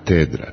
Katedra.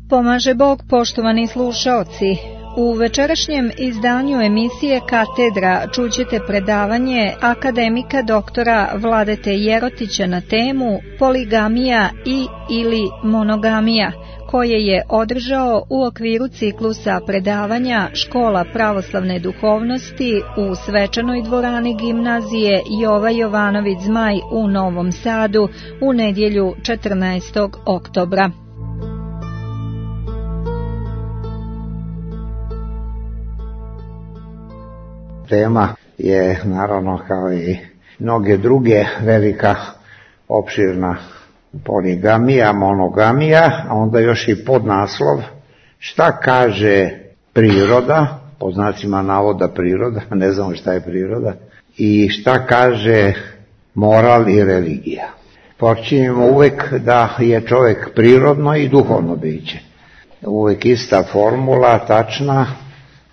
Pomaže Bog, poštovani slušaoci. U večerašnjem izdanju emisije Katedra čućete predavanje akademika doktora Vladete Jerotića na temu poligamija ili monogamija, koje je održao u okviru ciklusa predavanja Škola pravoslavne duhovnosti u svečanoj dvorani gimnazije Jova Jovanović Zmaj u Novom Sadu u nedjelju 14. oktobra. Tema je naravno kao i mnoge druge velika, opširna poligamija, monogamija, a onda još i podnaslov šta kaže priroda, po znacima navoda priroda, ne znamo šta je priroda, i šta kaže moral i religija. Počinjemo uvek da je čovjek prirodno i duhovno biće. Uvek ista formula, tačna.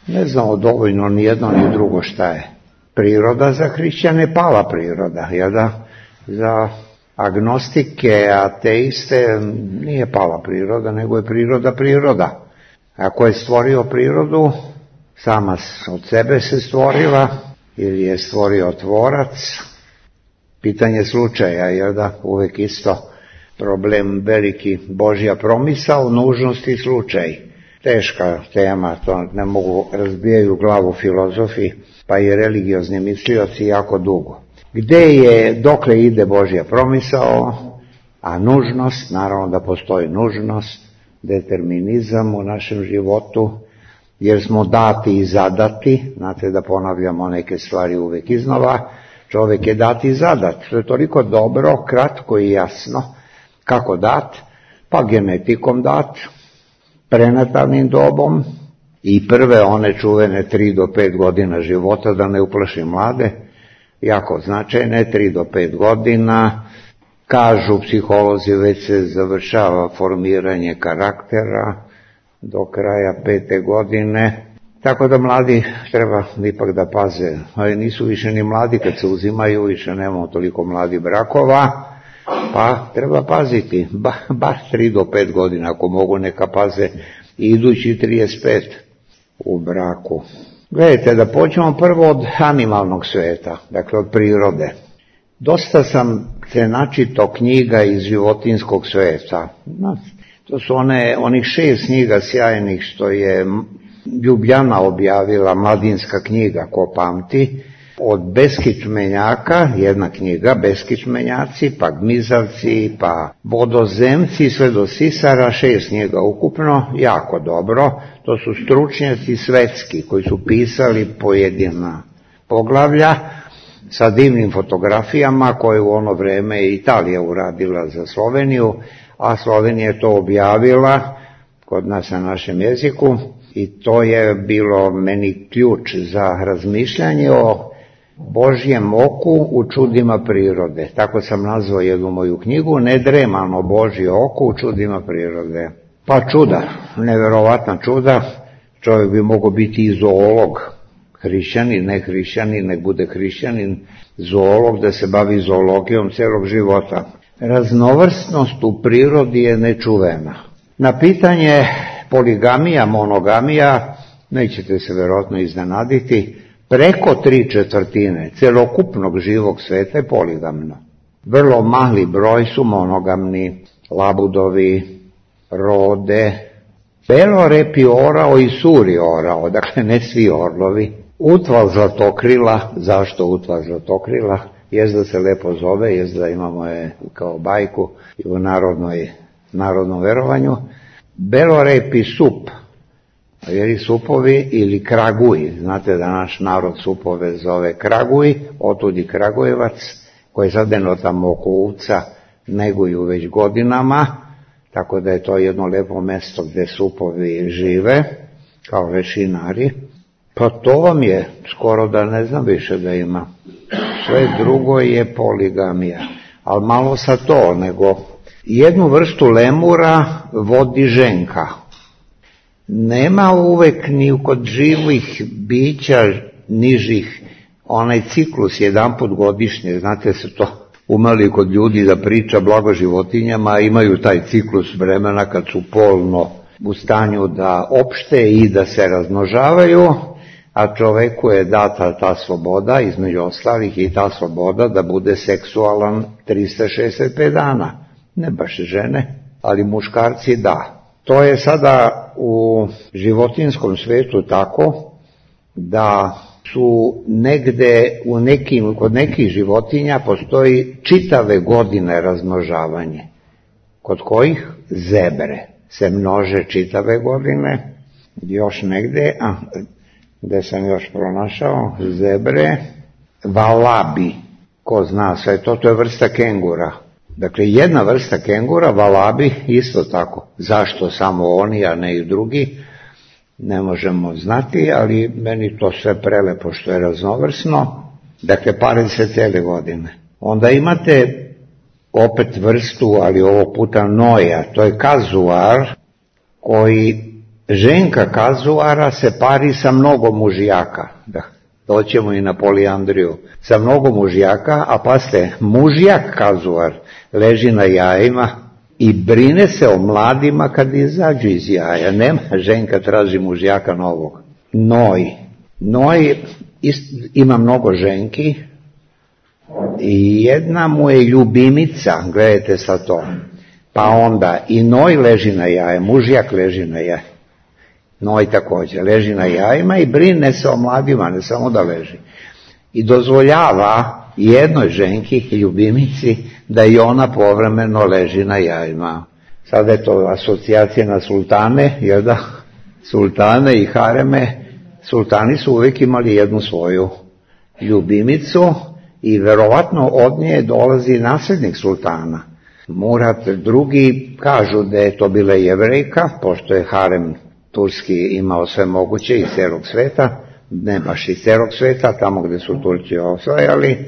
Ne znamo dovoljno ni jedno ni drugo šta je. Priroda za hrišćane pala priroda, jer da za agnostike, ateiste nije pala priroda, nego je priroda. Ako je stvorio prirodu, sama od sebe se stvorila, ili je stvorio tvorac, pitanje slučaja, jer da uvek isto problem veliki Božja promisao, nužnost i slučaj. Teška tema, to ne mogu, razbijaju glavu filozofi, pa i religiozni mislioci jako dugo. Gde je, dokle ide Božja promisao, a nužnost, naravno da postoji nužnost, determinizam u našem životu, jer smo dati i zadati, znate da ponavljamo neke stvari uvek iznova, čovjek je dat i zadat, to je toliko dobro, kratko i jasno, kako dat, pa genetikom dat, prenatalnim dobom i prve one čuvene 3 do 5 godina života, da ne uplaši mlade, jako značajne, 3 do 5 godina, kažu psiholozi već se završava formiranje karaktera do kraja 5. godine, tako da mladi treba ipak da paze, ali nisu više ni mladi kad se uzimaju, više nemamo toliko mladih brakova, pa treba paziti, bar 3 do 5 godina, ako mogu neka paze idući 35 u braku. Gledajte, da počnemo prvo od animalnog sveta, dakle od prirode. Dosta sam se načitao knjiga iz životinskog sveta. To su onih 6 knjiga sjajnih što je Ljubljana objavila, mladinska knjiga, ko pamti, od beskičmenjaka, jedna knjiga, beskičmenjaci, pa gmizavci, pa vodozemci, sve do sisara, 6 knjiga ukupno, jako dobro. To su stručnjaci svetski koji su pisali pojedina poglavlja sa divnim fotografijama koje u ono vreme je Italija uradila za Sloveniju, a Slovenija je to objavila kod nas na našem jeziku i to je bilo meni ključ za razmišljanje o Božjem oku u čudima prirode. Tako sam nazvao jednu moju knjigu, Nedremano Božje oko u čudima prirode. Pa čuda, neverovatna čuda, čovjek bi mogao biti i zoolog, hrišćanin, ne hrišćanin, nek bude hrišćanin, zoolog, da se bavi zoologijom celog života. Raznovrsnost u prirodi je nečuvena. Na pitanje poligamija, monogamija, nećete se verovatno iznenaditi, preko 3/4 celokupnog živog sveta je poligamno. Vrlo mali broj su monogamni, labudovi, rode, belorepi orao i suri orao, dakle ne svi orlovi. Utval zlatokrila, zašto utval zlatokrila? Jezda se lepo zove, jezda imamo je kao bajku i u narodnom verovanju. Belorepi sup, jer supovi ili kraguj, znate da naš narod supove zove kraguj, otud i Kragujevac, koji sad jedno tamo oko Uvca neguju već godinama, tako da je to jedno lepo mesto gde supovi žive, kao lešinari. Pa to vam je, skoro da ne znam više da ima. Sve drugo je poligamija, ali malo sa to, nego jednu vrstu lemura vodi ženka. Nema uvek ni kod živih bića nižih onaj ciklus jedanput godišnje, znate se to umeli kod ljudi da priča blago životinjama, imaju taj ciklus vremena kad su polno u stanju da opšte i da se razmnožavaju, a čoveku je data ta sloboda, između ostalih i ta sloboda da bude seksualan 365 dana. Ne baš žene, ali muškarci da. To je sada u životinskom svetu tako da su negde kod nekih životinja postoji čitave godine razmnožavanje. Kod kojih? Zebre se množe čitave godine. Još negde, gde sam još pronašao, zebre, valabi, ko zna sve to, to je vrsta kengura. Dakle, jedna vrsta kengura, valabi, isto tako. Zašto samo oni, a ne i drugi, ne možemo znati, ali meni to sve prelepo što je raznovrsno. Dakle, pare se cele godine. Onda imate opet vrstu, ali ovog puta noja, to je kazuar, koji ženka kazuara se pari sa mnogo mužjaka. Da, doćemo i na polijandriju. Sa mnogo mužjaka, a pasite, mužjak kazuar leži na jajima i brine se o mladima kad izađu iz jaja. Nema, ženka traži mužjaka novog. Noj ima mnogo ženki i jedna mu je ljubimica, gledajte sad to. Pa onda i noj leži na jaje, mužjak leži na jaje. Noj također leži na jajima i brine se o mladima, ne samo da leži. I dozvoljava jednoj ženki, ljubimici, da i ona povremeno leži na jajima. Sada je to asocijacija na sultane, jer da, sultane i hareme, sultani su uvijek imali jednu svoju ljubimicu i verovatno od nje dolazi nasljednik sultana. Murat II. Kažu da je to bila Jevrejka, pošto je harem turski imao sve moguće iz celog sveta, ne baš iz celog sveta, tamo gde su Turci osvajali,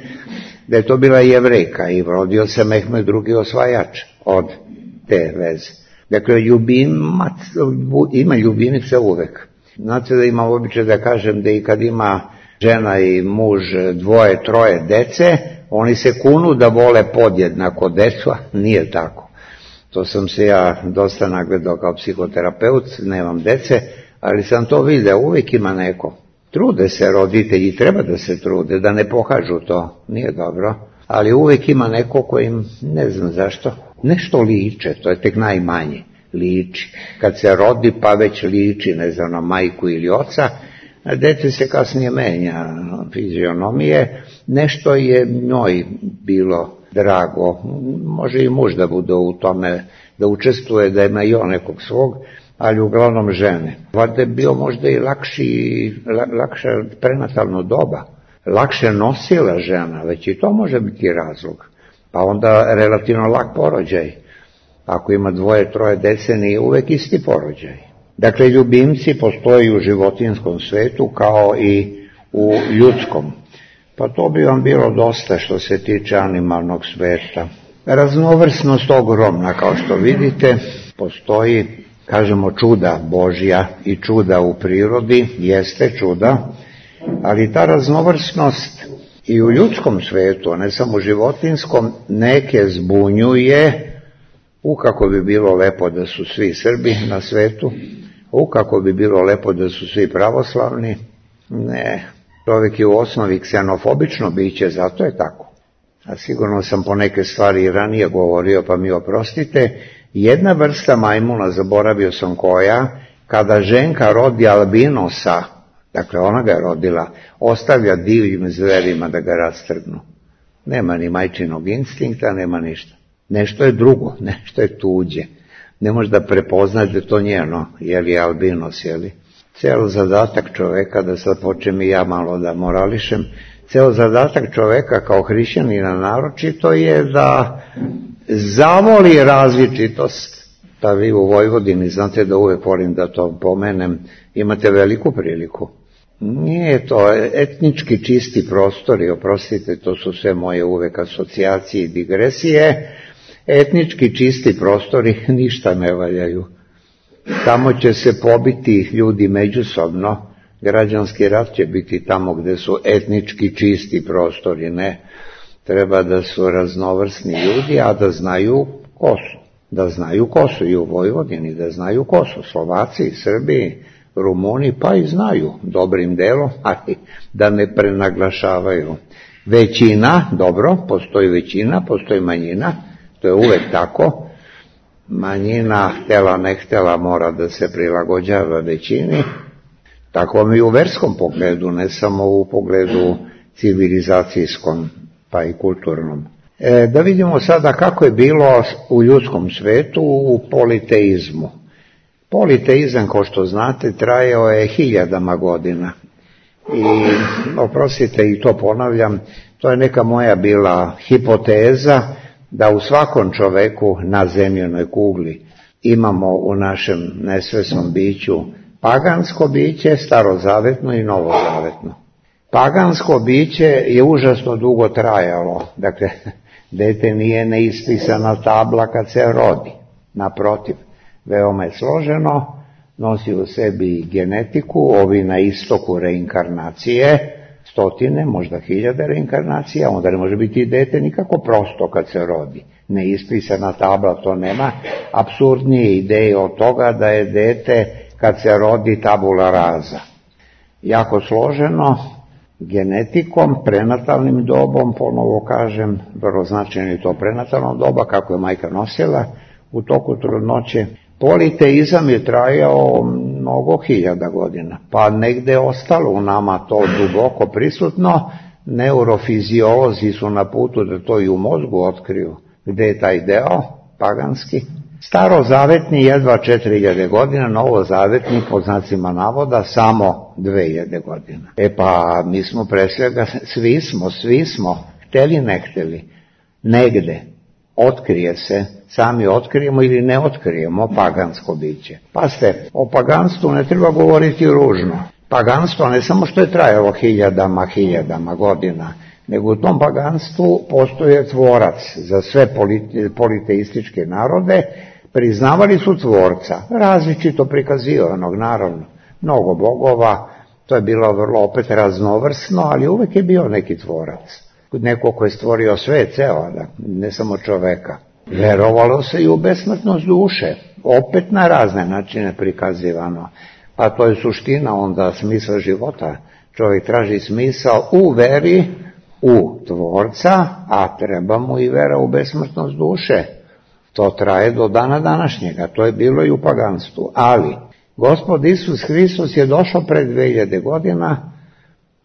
da je to bila Jevrejka i rodio se Mehmed II. Osvajač od te veze. Dakle, ima ljubimice uvek. Znate da ima običaj da kažem da i kad ima žena i muž 2, 3 dece, oni se kunu da vole podjednako decu, a nije tako. To sam se ja dosta nagledao kao psihoterapeut, nemam dece, ali sam to vidio, uvijek ima neko. Trude se roditelji, treba da se trude, da ne pokažu to, nije dobro, ali uvijek ima neko kojim, ne znam zašto, nešto liče, to je tek najmanje, liči. Kad se rodi pa već liči, ne znam, na majku ili oca, a dete se kasnije menja fizionomije, nešto je njoj bilo drago, može i muž da bude u tome, da učestvuje, da ima i on nekog svog, ali uglavnom žene. Valjda je bio možda i lakše prenatalno doba, lakše nosila žena, već i to može biti razlog. Pa onda relativno lak porođaj. Ako ima 2, 3 dece, nije uvek isti porođaj. Dakle, ljubimci postoji u životinskom svetu kao i u ljudskom. Pa to bi vam bilo dosta što se tiče animalnog sveta. Raznovrsnost ogromna, kao što vidite, postoji, kažemo, čuda Božja i čuda u prirodi, jeste čuda, ali ta raznovrsnost i u ljudskom svetu, a ne samo u životinskom, neke zbunjuje. Kako bi bilo lepo da su svi Srbi na svetu, kako bi bilo lepo da su svi pravoslavni. Ne, čovjek je u osnovi ksenofobično biće, zato je tako. A sigurno sam po neke stvari i ranije govorio, pa mi oprostite. Jedna vrsta majmuna, zaboravio sam koja, kada ženka rodi albinosa, dakle ona ga je rodila, ostavlja divljim zverima da ga rastrgnu. Nema ni majčinog instinkta, nema ništa. Nešto je drugo, nešto je tuđe. Ne može da prepoznaš da to njeno, je albinos, Ceo zadatak čoveka, da sad počnem i ja malo da morališem, ceo zadatak čoveka kao hrišćanina naročito je da zavoli različitost. Da vi u Vojvodini, znate da uvek volim da to pomenem, imate veliku priliku. Nije to etnički čisti prostori, oprostite, to su sve moje uvek asocijacije i digresije. Etnički čisti prostori ništa ne valjaju. Tamo će se pobiti ljudi međusobno, građanski rat će biti tamo gde su etnički čisti prostori, ne. Treba da su raznovrsni ljudi, a da znaju ko su. Da znaju ko su i u Vojvodini, da znaju ko su Slovaci, Srbi, Rumuni, pa i znaju dobrim delom, ali da ne prenaglašavaju. Većina, dobro, postoji većina, postoji manjina, to je uvek tako. Manjina, htela ne htela, mora da se prilagođava većini. Tako mi u verskom pogledu, ne samo u pogledu civilizacijskom, pa i kulturnom. Da vidimo sada kako je bilo u ljudskom svetu u politeizmu. Politeizam, kao što znate, trajao je 1000 godina. I, oprostite, i to ponavljam, to je neka moja bila hipoteza, da u svakom čoveku na zemljenoj kugli imamo u našem nesvesnom biću pagansko biće, starozavetno i novozavetno. Pagansko biće je užasno dugo trajalo, dakle, dete nije neispisana tabla kad se rodi, naprotiv, veoma je složeno, nosi u sebi genetiku, ovi na istoku reinkarnacije, stotine, možda 1000 reinkarnacija, onda ne može biti i dete nikako prosto kad se rodi. Neispisana tabla, to nema apsurdnije ideje od toga da je dete kad se rodi tabula rasa. Jako složeno, genetikom, prenatalnim dobom, ponovo kažem, vrlo značajno je to prenatalno doba, kako je majka nosila u toku trudnoće. Politeizam je trajao mnogo 1000 godina, pa negde je ostalo u nama to duboko prisutno, neurofiziolozi su na putu da to i u mozgu otkriju, gde je taj deo paganski. Starozavetni jedva 4000 godina, novozavetni pod znacima navoda samo 2000 godina. Pa mi smo pre svega, svi smo, hteli ne hteli, negde otkrije se, sami otkrijemo ili ne otkrijemo pagansko biće. Pazite, o paganstvu ne treba govoriti ružno. Paganstvo ne samo što je trajalo 1000 godina, nego u tom paganstvu postoje tvorac za sve politeističke narode, priznavali su tvorca, različito prikazivanog, naravno, mnogo bogova, to je bilo vrlo opet raznovrsno, ali uvek je bio neki tvorac, neko ko je stvorio sve ceo, ne samo čoveka. Verovalo se i u besmrtnost duše, opet na razne načine prikazivano, pa to je suština onda smisla života. Čovjek traži smisao u veri u tvorca, a treba mu i vera u besmrtnost duše. To traje do dana današnjega, to je bilo i u paganstvu. Ali, Gospod Isus Hristos je došao pred 2000 godina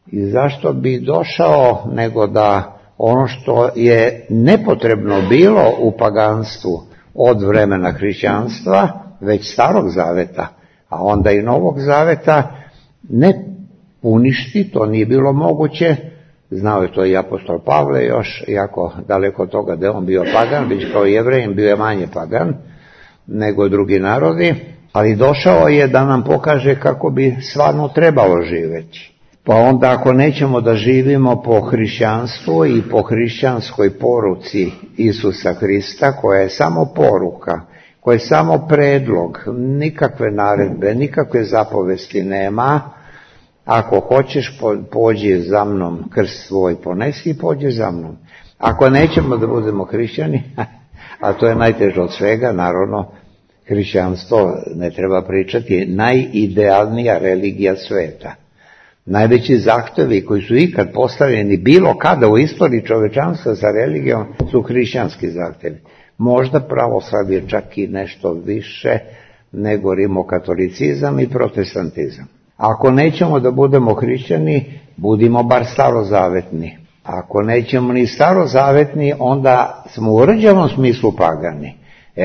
i zašto bi došao nego da ono što je nepotrebno bilo u paganstvu od vremena hrišćanstva, već starog zaveta, a onda i novog zaveta, ne uništi, to nije bilo moguće. Znao je to i apostol Pavle još, iako daleko od toga da je on bio pagan, već kao Jevrejin bio je manje pagan nego drugi narodi, ali došao je da nam pokaže kako bi stvarno trebalo živjeti. Pa onda ako nećemo da živimo po hrišćanstvu i po hrišćanskoj poruci Isusa Hrista, koja je samo poruka, koja je samo predlog, nikakve naredbe, nikakve zapovesti nema, ako hoćeš pođi za mnom, krst svoj ponesi i pođi za mnom. Ako nećemo da budemo hrišćani, a to je najteže od svega, naravno, hrišćanstvo ne treba pričati, najidealnija religija sveta. Najveći zahtevi koji su ikad postavljeni bilo kada u istoriji čovečanstva sa religijom su hrišćanski zahtevi. Možda pravoslavlje čak i nešto više nego rimokatolicizam i protestantizam. Ako nećemo da budemo hrišćani, budimo bar starozavetni. Ako nećemo ni starozavetni, onda smo u rđavom smislu pagani.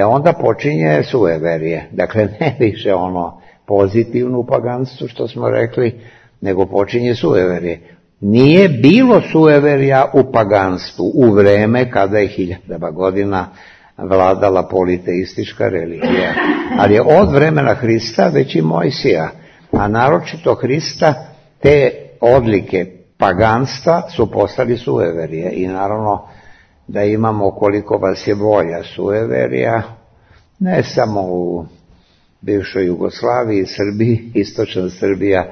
Onda počinje sueverje. Dakle, ne više ono pozitivno paganstvo što smo rekli, nego počinje sueverje. Nije bilo sueverja u paganstvu u vreme kada je 1000 godina vladala politeistička religija. Ali je od vremena Hrista već i Mojsija, a naročito Hrista, te odlike paganstva su postali sueverije. I naravno da imamo koliko vas je volja sueverija, ne samo u bivšoj Jugoslaviji, Srbiji, istočna Srbija.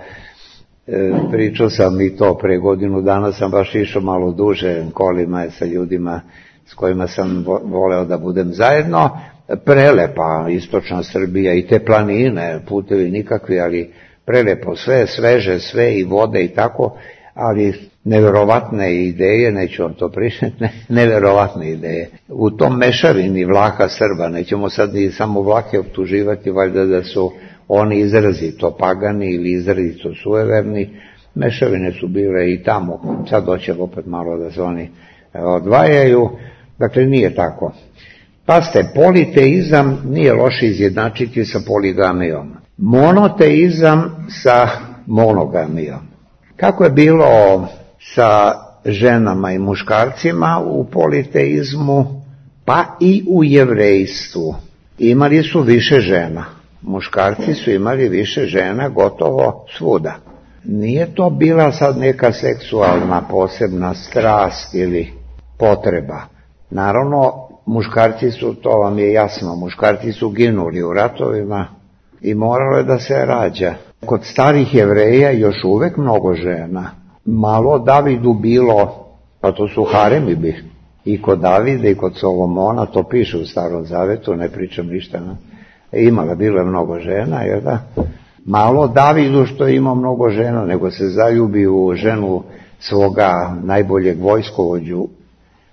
Pričao sam i to pre godinu dana, sam baš išao malo duže kolima sa ljudima s kojima sam voleo da budem zajedno. Prelepa istočna Srbija i te planine, putevi nikakvi, ali prelepo, sve sveže, sve i vode i tako, ali neverovatne ideje, neću vam to pričati, neverovatne ideje. U tom mešavini Vlaha, Srba, nećemo sad ni samo Vlahe optuživati, valjda da su oni izrazito pagani ili izrazito sueverni, mešavine su bile i tamo, sad hoće opet malo da se oni odvajaju, dakle nije tako. Pazite, politeizam nije loše izjednačiti sa poligamijom, monoteizam sa monogamijom. Kako je bilo sa ženama i muškarcima u politeizmu, pa i u jevrejstvu? Imali su više žena. Muškarci su imali više žena gotovo svuda. Nije to bila sad neka seksualna posebna strast ili potreba. Naravno, muškarci su, to vam je jasno, muškarci su ginuli u ratovima i moralo je da se rađa. Kod starih Jevreja još uvek mnogo žena. Malo Davidu bilo, pa to su haremi bi. I kod Davida i kod Solomona, to piše u Starom Zavetu, ne pričam ništa. Imala, bilo je mnogo žena, jer da? Malo Davidu što je imao mnogo žena, nego se zaljubi u ženu svoga najboljeg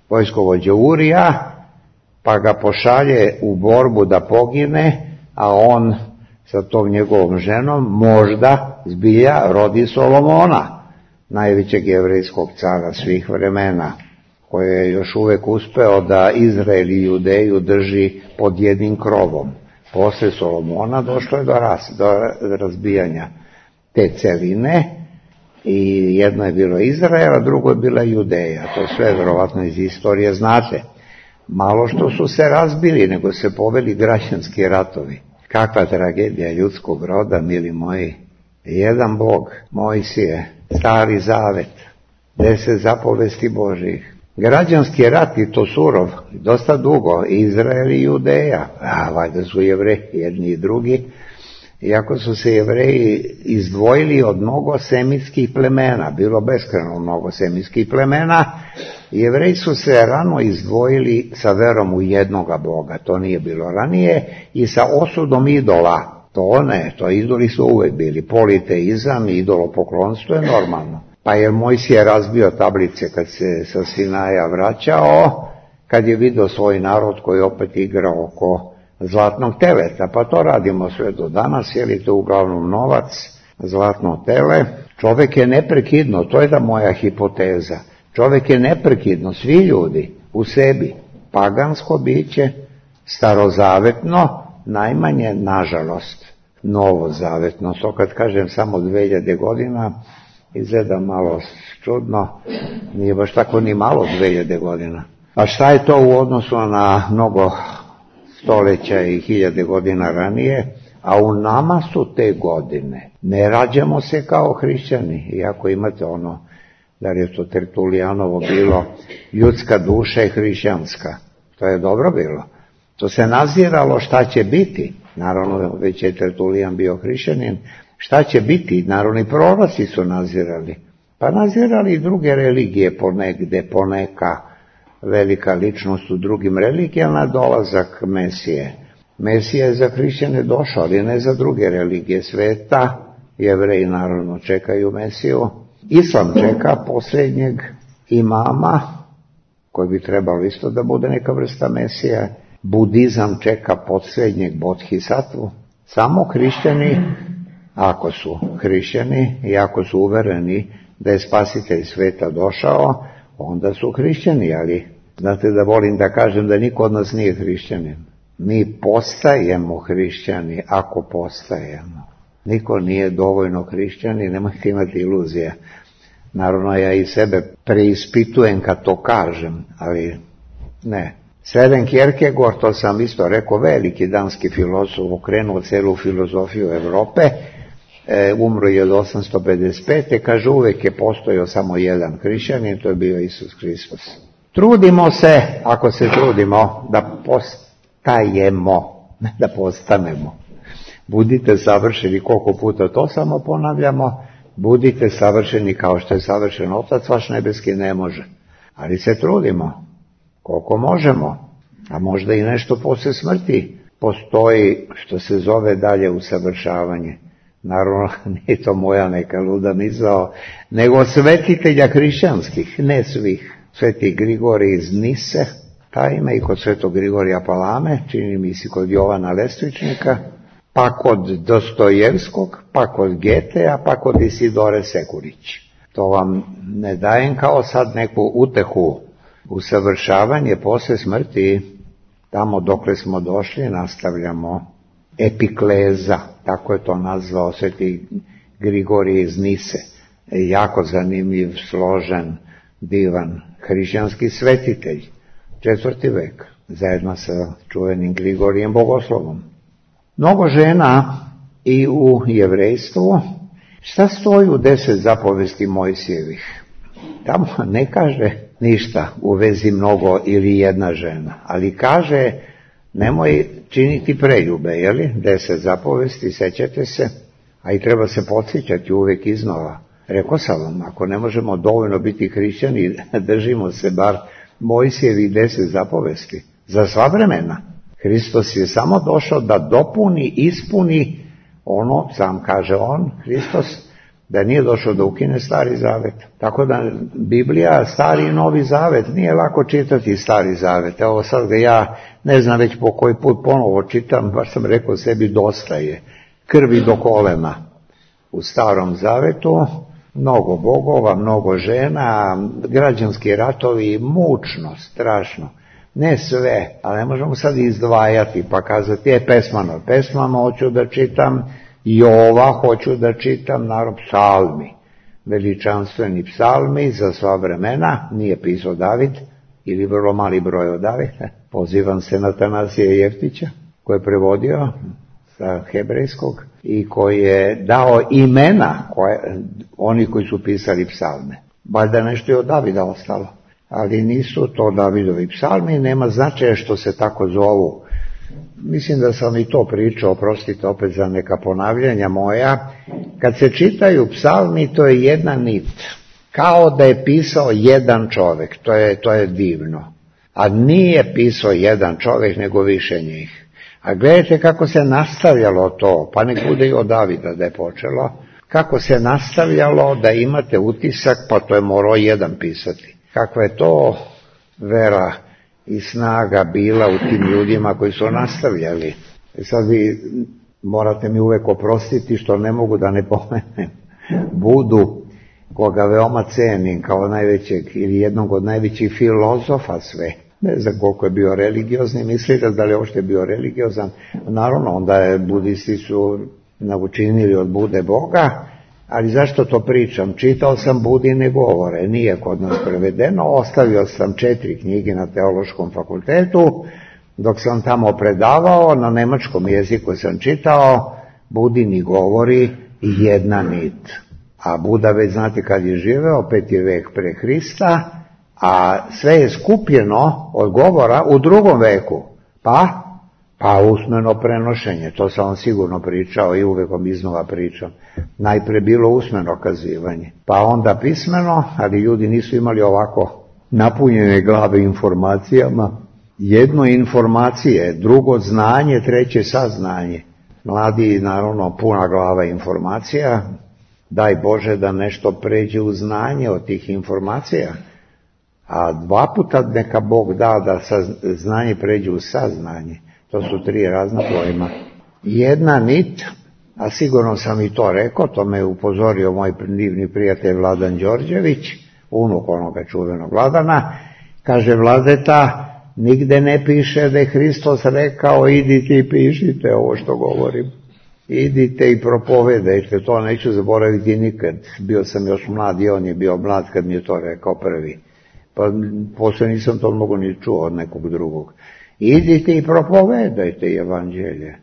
vojskovođa Urija, pa ga pošalje u borbu da pogine, a on sa tom njegovom ženom možda zbilja rodi Solomona, najvećeg jevrejskog cara svih vremena, koji je još uvek uspeo da Izrael i Judeju drži pod jednim krovom. Posle Solomona došlo je do razbijanja te celine i jedno je bilo Izrael, a drugo je bila Judeja. To sve verovatno iz istorije znate. Malo što su se razbili, nego se poveli građanski ratovi. Kakva tragedija ljudskog roda, mili moji. Jedan Bog, Mojsije, Stari Zavet, 10 zapovesti Božjih. Građanski rat i to surov, dosta dugo, Izrael i Judeja, valjda su Jevreji jedni i drugi, iako su se Jevreji izdvojili od mnogo semitskih plemena, bilo beskrajno mnogo semitskih plemena, Jevreji su se rano izdvojili sa verom u jednoga Boga, to nije bilo ranije, i sa osudom idola, to ne, to idoli su uvek bili, politeizam i idolopoklonstvo je normalno. Pa je Mojsije razbio tablice kad se sa Sinaja vraćao, kad je vidio svoj narod koji opet igra oko zlatnog teleta, pa to radimo sve do danas, jer je to uglavnom novac, zlatno tele. Čovek je neprekidno, to je da moja hipoteza, čovek je neprekidno, svi ljudi u sebi, pagansko biće, starozavetno, najmanje, nažalost, novozavetno. To kad kažem samo 2000 godina, izgleda malo čudno, nije baš tako ni malo 2000 godina. A šta je to u odnosu na mnogo stoleća i 1000 godina ranije? A u nama su te godine. Ne rađamo se kao hrišćani, iako imate ono, da je to Tertulijanovo bilo, ljudska duša je hrišćanska. To je dobro bilo. To se naziralo šta će biti. Naravno, već je Tertulijan bio hrišćanin. Šta će biti? Narodni proroci su nazirali. Pa nazirali i druge religije ponegde, poneka velika ličnost u drugim religijama, dolazak Mesije. Mesija je za hrišćane došao, ali ne za druge religije sveta. Jevreji naravno čekaju Mesiju. Islam čeka posljednjeg imama, koji bi trebalo isto da bude neka vrsta Mesija. Budizam čeka posljednjeg bodhisatvu. Samo hrišćani, ako su hrišćani i ako su uvereni da je spasitelj sveta došao, onda su hrišćani, ali znate da volim da kažem da niko od nas nije hrišćanin. Mi postajemo hrišćani ako postajemo. Niko nije dovoljno hrišćanin, nemojte imati iluzije. Naravno, ja i sebe preispitujem kad to kažem, ali ne. Søren Kierkegaard, to sam isto rekao, veliki danski filozof, okrenuo celu filozofiju Evrope, umro je od 855. Kaže, uvek je postojao samo jedan hrišćanin, to je bio Isus Hristos. Trudimo se, ako se trudimo, da postajemo, ne da postanemo. Budite savršeni, koliko puta to samo ponavljamo, budite savršeni kao što je savršen Otac vaš nebeski, ne može. Ali se trudimo, koliko možemo, a možda i nešto posle smrti. Postoji što se zove dalje usavršavanje. Naravno, nije to moja neka luda misao, nego svetitelja hrišćanskih, ne svih. Sveti Grigorij iz Nise, ta ima i kod svetog Grigorija Palame, čini mi se kod Jovana Lestvičnika, pa kod Dostojevskog, pa kod Getea, pa kod Isidore Sekurić. To vam ne dajem kao sad neku utehu. Usavršavanje posle smrti, tamo dokle smo došli, nastavljamo epikleza, tako je to nazvao sveti Grigorij iz Nise. Jako zanimljiv, složen, divan hrišćanski svetitelj, 4. vek, zajedno sa čuvenim Grigorijem Bogoslovom. Mnogo žena i u jevrejstvu. Šta stoji u 10 zapovesti Mojsijevih? Tamo ne kaže ništa u vezi mnogo ili jedna žena, ali kaže nemoj činiti preljube, jeli? 10 zapovesti, sećate se, a i treba se podsjećati uvek iznova. Rekao sam vam, ako ne možemo dovoljno biti hrišćani, držimo se bar Mojsijevih 10 zapovesti za sva vremena. Hristos je samo došao da dopuni, ispuni ono, sam kaže on, Hristos, da nije došao da ukine Stari Zavet. Tako da Biblija, Stari i Novi Zavet, nije lako čitati Stari Zavet. Evo sad ga ja ne znam već po koji put ponovo čitam, baš sam rekao sebi dosta je krvi do kolena. U Starom Zavetu mnogo bogova, mnogo žena, građanski ratovi, mučno, strašno. Ne sve, ali ne možemo sad izdvajati pa kazati, pesmama hoću da čitam, Jova hoću da čitam, naravno psalmi, veličanstveni psalmi za sva vremena, nije pisao David, ili vrlo mali broj od Davida. Pozivam se na Atanasija Jeftića, koji je prevodio sa hebrejskog i koji je dao imena oni koji su pisali psalme. Valjda nešto je od Davida ostalo, ali nisu to Davidovi psalmi, nema značaja što se tako zovu. Mislim da sam i to pričao, oprostite opet za neka ponavljanja moja. Kad se čitaju psalmi, to je jedna nit, kao da je pisao jedan čovjek, to je divno. A nije pisao jedan čovjek, nego više njih. A gledajte kako se nastavljalo to, pa nek bude i od Davida da je počelo, kako se nastavljalo da imate utisak, pa to je morao jedan pisati. Kakva je to vera i snaga bila u tim ljudima koji su nastavljali. Sad vi morate mi uvek oprostiti što ne mogu da ne pomenem Budu, koga veoma cenim kao najvećeg ili jednog od najvećih filozofa sve. Ne znam koliko je bio religiozni, mislite da li uopšte bio religiozan. Naravno, onda budisti su učinili od Bude Boga, ali zašto to pričam? Čitao sam Budine govore, nije kod nas prevedeno, ostavio sam 4 knjige na Teološkom fakultetu, dok sam tamo predavao, na nemačkom jeziku sam čitao Budini govori i jedna nit. A Buda već znate kad je živeo, 5. vek pre Hrista, a sve je skupljeno od govora u 2. veku. Pa usmeno prenošenje, to sam vam sigurno pričao i uvek vam iznova pričam. Najpre bilo usmeno kazivanje, pa onda pismeno, ali ljudi nisu imali ovako napunjene glave informacijama. Jedno informacije, drugo znanje, treće saznanje. Mladi, naravno, puna glava informacija, daj Bože da nešto pređe u znanje od tih informacija. A 2 puta neka Bog da znanje pređe u saznanje. To su 3 razna pojma. Jedna nit, a sigurno sam i to rekao, to me upozorio moj divni prijatelj Vladan Đorđević, unuk onoga čuvenog Vladana, kaže Vladeta, nigde ne piše da je Hristos rekao idite i pišite ovo što govorim. Idite i propovedajte, to neću zaboraviti nikad. Bio sam još mlad i on je bio mlad kad mi je to rekao prvi. Pa posle nisam to mogu ni čuo od nekog drugog. Idite i propovedajte evanđelje.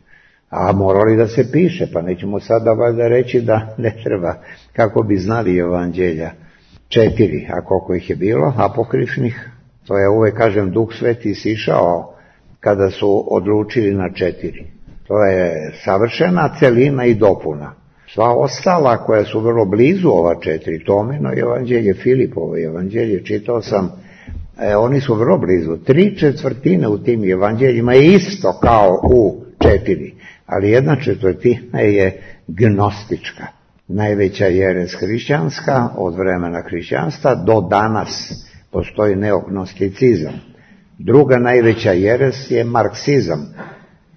A morali da se piše, pa nećemo sada valjda reći da ne treba, kako bi znali evanđelja. 4, a koliko ih je bilo, apokrifnih. To je uvek, kažem, Duh Sveti sišao kada su odlučili na 4. To je savršena celina i dopuna. Sva ostala koja su vrlo blizu ova 4, Tomino evanđelje, Filipovo evanđelje, čitao sam, oni su vrlo blizu. 3/4 u tim evanđeljima je isto kao u 4, ali 1/4 je gnostička. Najveća jeres hrišćanska od vremena hrišćanstva do danas postoji neognosticizam. Druga najveća jeres je marksizam.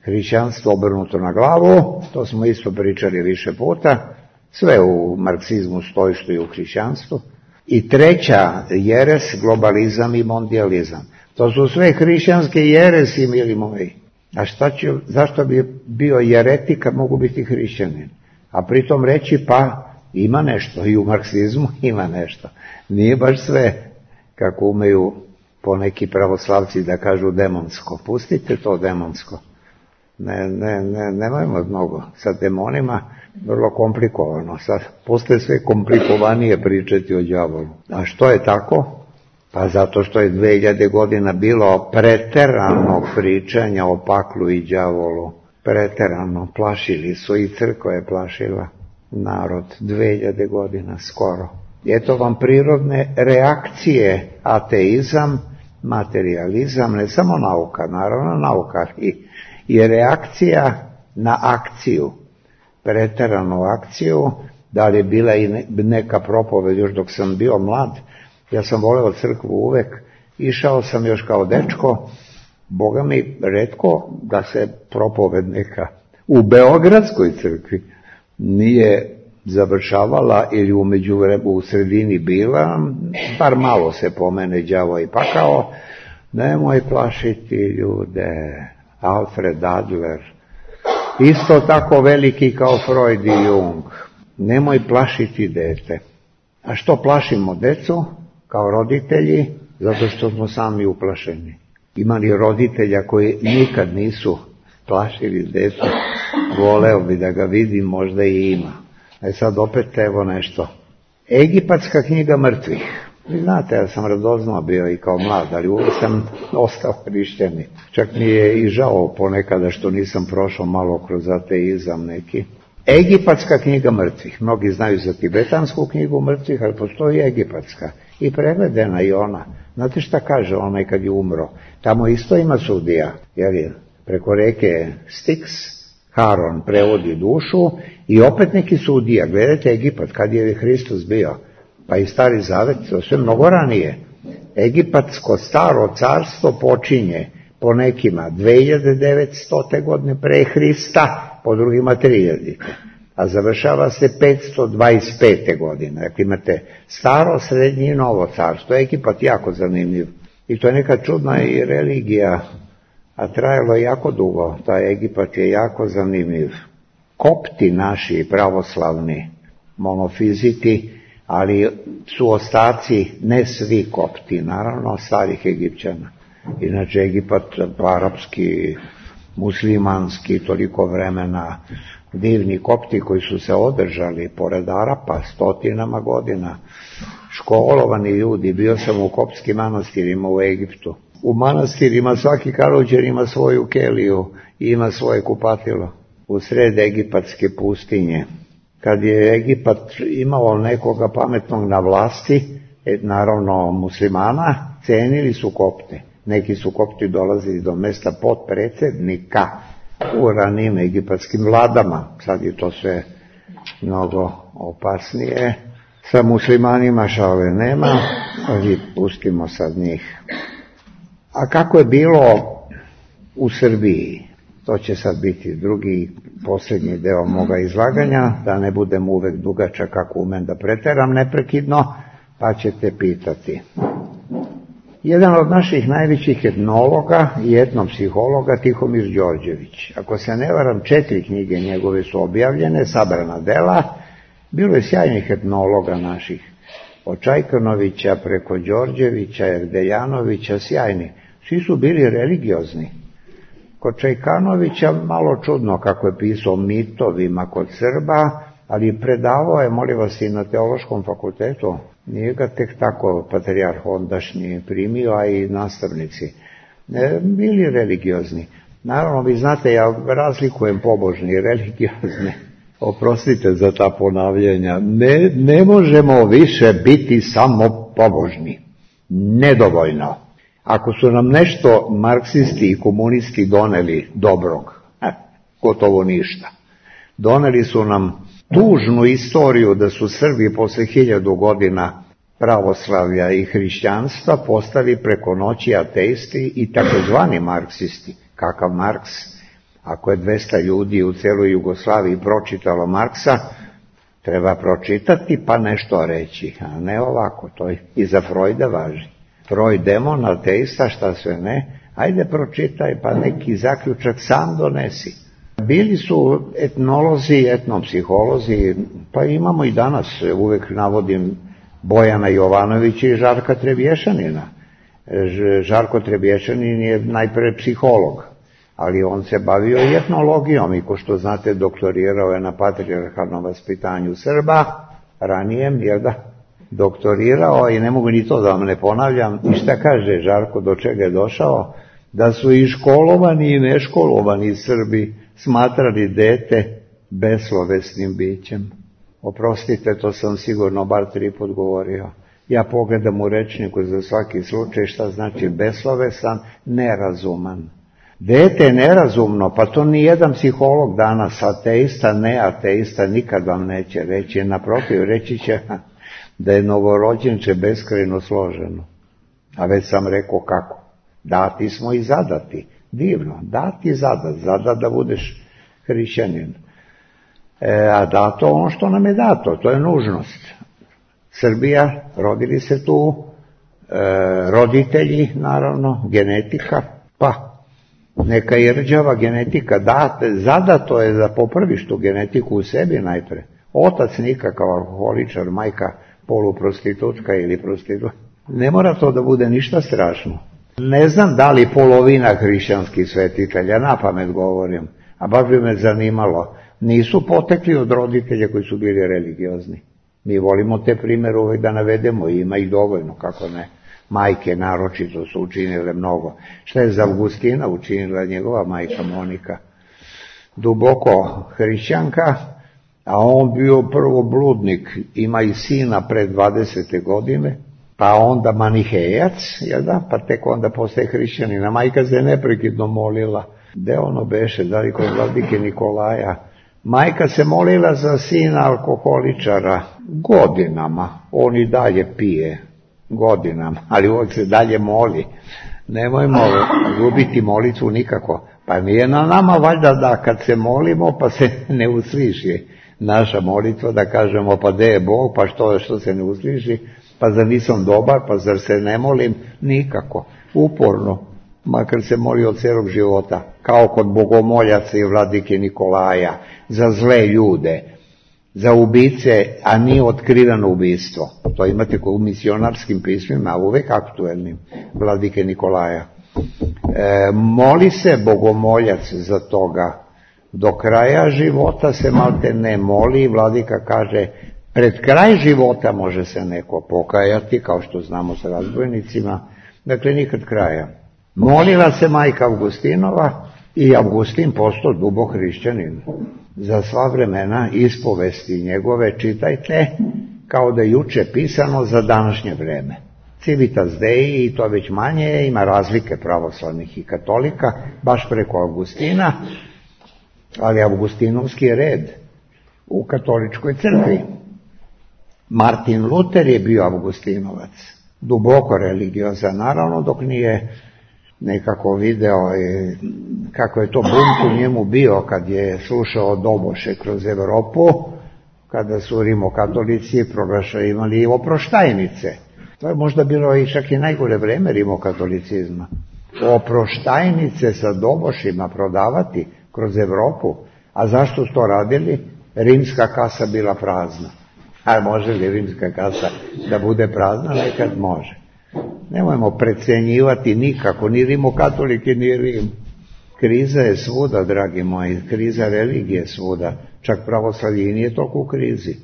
Hrišćanstvo obrnuto na glavu, to smo isto pričali više puta, sve u marksizmu stoji što je u hrišćanstvu. I treća jeres, globalizam i mondializam. To su sve hrišćanske jeresi, mili moji. A zašto bi bio jeretik, kad mogu biti hrišćanin? A pritom reći, pa ima nešto, i u marksizmu ima nešto. Nije baš sve, kako umeju poneki pravoslavci da kažu demonsko. Pustite to demonsko. Nemojmo mnogo. Sa demonima vrlo komplikovano. Sad postaje sve komplikovanije pričati o đavolu. A što je tako? Pa zato što je 2000 godina bilo preteranog pričanja o paklu i đavolu. Preterano. Plašili su, i crkva je plašila narod 2000 godina skoro. Eto vam prirodne reakcije, ateizam, materializam, ne samo nauka, naravno nauka i reakcija na akciju, preteranu akciju. Da li je bila i neka propoved još dok sam bio mlad, ja sam voleo crkvu uvek, išao sam još kao dečko, Boga mi retko da se propoved neka u Beogradskoj crkvi nije završavala ili u sredini bila, bar malo se pomene đavo i pakao, nemoj plašiti ljude. Alfred Adler, isto tako veliki kao Freud i Jung, nemoj plašiti dete. A što plašimo decu kao roditelji? Zato što smo sami uplašeni. Ima li roditelja koji nikad nisu plašili decu? Voleo bi da ga vidim, možda i ima. A sad opet evo nešto. Egipatska knjiga mrtvih. Vi znate, ja sam radoznao bio i kao mlad, ali uvijek sam ostao hrišćanin. Čak mi je i žao ponekada što nisam prošao malo kroz ateizam neki. Egipatska knjiga mrtvih. Mnogi znaju za tibetansku knjigu mrtvih, ali postoji egipatska. I prevedena i ona. Znate šta kaže onaj kad je umro? Tamo isto ima sudija, jer preko reke Styx, Haron prevodi dušu i opet neki sudija. Gledajte Egipat, kad je Hristos bio? Pa i Stari Zavet, to sve mnogo ranije. Egipatsko staro carstvo počinje po nekima 2900. godine pre Hrista, po drugima 3000. A završava se 525. godine. Dakle, imate staro, srednje i novo carstvo. Egipat jako zanimljiv. I to je neka čudna i religija, a trajalo je jako dugo. Taj Egipat je jako zanimljiv. Kopti naši pravoslavni, monofiziti, ali su ostaci, ne svi kopti, naravno, starih Egipćana. Inače, Egipat, arapski, muslimanski, toliko vremena, divni kopti koji su se održali pored Arapa stotinama godina, školovani ljudi. Bio sam u koptskim manastirima u Egiptu. U manastirima svaki kaluđer ima svoju keliju i ima svoje kupatilo u sred egipatske pustinje. Kad je Egipat imao nekoga pametnog na vlasti, naravno muslimana, cenili su kopte. Neki su kopti dolazili do mesta potpredsjednika u ranijim egipatskim vladama. Sad je to sve mnogo opasnije. Sa muslimanima šale nema, ali pustimo sad njih. A kako je bilo u Srbiji? To će sad biti drugi, posljednji deo moga izlaganja, da ne budem uvek dugačak kako umem da preteram neprekidno, pa ćete pitati. Jedan od naših najvećih etnologa i etnopsihologa, Tihomir Đorđević. Ako se ne varam, 4 knjige njegove su objavljene, sabrana dela. Bilo je sjajnih etnologa naših. Od Čajkanovića preko Đorđevića, Erdejanovića, sjajni. Svi su bili religiozni. Kod Čajkanovića malo čudno kako je pisao mitovima kod Srba, ali predavao je, molim vas, i na Teološkom fakultetu. Nije ga tek tako patrijarh ondašnji primio, a i nastavnici. Bili religiozni. Naravno, vi znate, ja razlikujem pobožni i religiozne. Oprostite za ta ponavljanja. Ne možemo više biti samo pobožni. Nedovoljno. Ako su nam nešto marksisti i komunisti doneli dobrog, gotovo ništa. Doneli su nam tužnu istoriju da su Srbi posle 1000 godina pravoslavlja i hrišćanstva postali preko noći ateisti i takozvani marksisti. Kakav Marks? Ako je 200 ljudi u celoj Jugoslaviji pročitalo Marksa, treba pročitati pa nešto reći, a ne ovako, to i za Freuda važi. Freud demon, ateista, šta sve ne, ajde pročitaj pa neki zaključak sam donesi. Bili su etnolozi, etnopsiholozi, pa imamo i danas, uvek navodim Bojana Jovanovića i Žarka Trebješanina. Žarko Trebješanin je najpre psiholog, ali on se bavio i etnologijom i ko što znate doktorirao je na patrijarhalnom vaspitanju Srba, ranijem, jel da, doktorirao i ne mogu ni to da vam ne ponavljam. I šta kaže Žarko, do čega je došao? Da su i školovani i neškolovani Srbi smatrali dete beslovesnim bićem. Oprostite, to sam sigurno bar 3 put govorio. Ja pogledam u rečniku za svaki slučaj šta znači beslovesan, nerazuman. Dete je nerazumno, pa to ni jedan psiholog danas, ateista, neateista, nikad vam neće reći. Naprotiv, reći će da je novorođenče beskrajno složeno. A već sam rekao kako. Dati smo i zadati. Divno, dati i zadat da budeš hrišćanin. A dato ono što nam je dato, to je nužnost. Srbija, rodili se tu, roditelji, naravno, genetika, pa neka je rđava genetika, zadato je da popraviš tu genetiku u sebi najpre. Otac nikakav alkoholičar, majka poluprostitutka ili prostitutka. Ne mora to da bude ništa strašno. Ne znam da li polovina hrišćanskih svetitelja, na pamet govorim, a baš bi me zanimalo, nisu potekli od roditelja koji su bili religiozni. Mi volimo te primere uvek da navedemo, ima ih dovoljno, kako ne. Majke naročito su učinile mnogo. Šta je za Augustina učinila njegova majka Monika? Duboko hrišćanka, a on bio prvo bludnik, ima i sina pred 20. godine, pa onda manihejac, jel da, pa tek onda postaje hrišćanina. Majka se neprekidno molila, gde ono beše, da li kod vladike Nikolaja. Majka se molila za sina alkoholičara godinama, on i dalje pije godinama, ali uvijek se dalje moli. Nemojmo gubiti molitvu nikako. Pa nije na nama valjda da kad se molimo pa se ne usliši naša molitva, da kažemo pa gde je Bog, pa što se ne usliši, pa zar nisam dobar, pa zar se ne molim, nikako, uporno, makar se moli od celog života, kao kod bogomoljaca i vladike Nikolaja, za zle ljude, za ubice, a nije otkriveno ubistvo. To imate u misionarskim pismima, uvek aktuelnim, vladike Nikolaja. Moli se bogomoljac za toga, do kraja života se malte ne moli, vladika kaže, pred kraj života može se neko pokajati, kao što znamo sa razbojnicima, dakle nikad kraja. Molila se majka Augustinova i Augustin postao dubok hrišćanin. Za sva vremena ispovesti njegove čitajte kao da je juče pisano za današnje vreme. Civitas Dei, i to već manje, ima razlike pravoslavnih i katolika, baš preko Augustina, ali Augustinovski je red u katoličkoj crkvi. Martin Luter je bio Augustinovac, duboko religiozan, naravno, dok nije nekako video kako je to bunt u njemu bio kad je slušao doboše kroz Evropu, kada su rimokatolici imali oproštajnice. To je možda bilo i čak i najgore vreme rimokatolicizma. Oproštajnice sa dobošima prodavati kroz Evropu. A zašto su to radili? Rimska kasa bila prazna. A može li rimska kasa da bude prazna? Nekad može. Nemojmo precenjivati nikako, ni rimokatolike, ni Rim. Kriza je svuda, dragi moji, kriza religije je svuda. Čak pravoslavlje i nije toliko u krizi.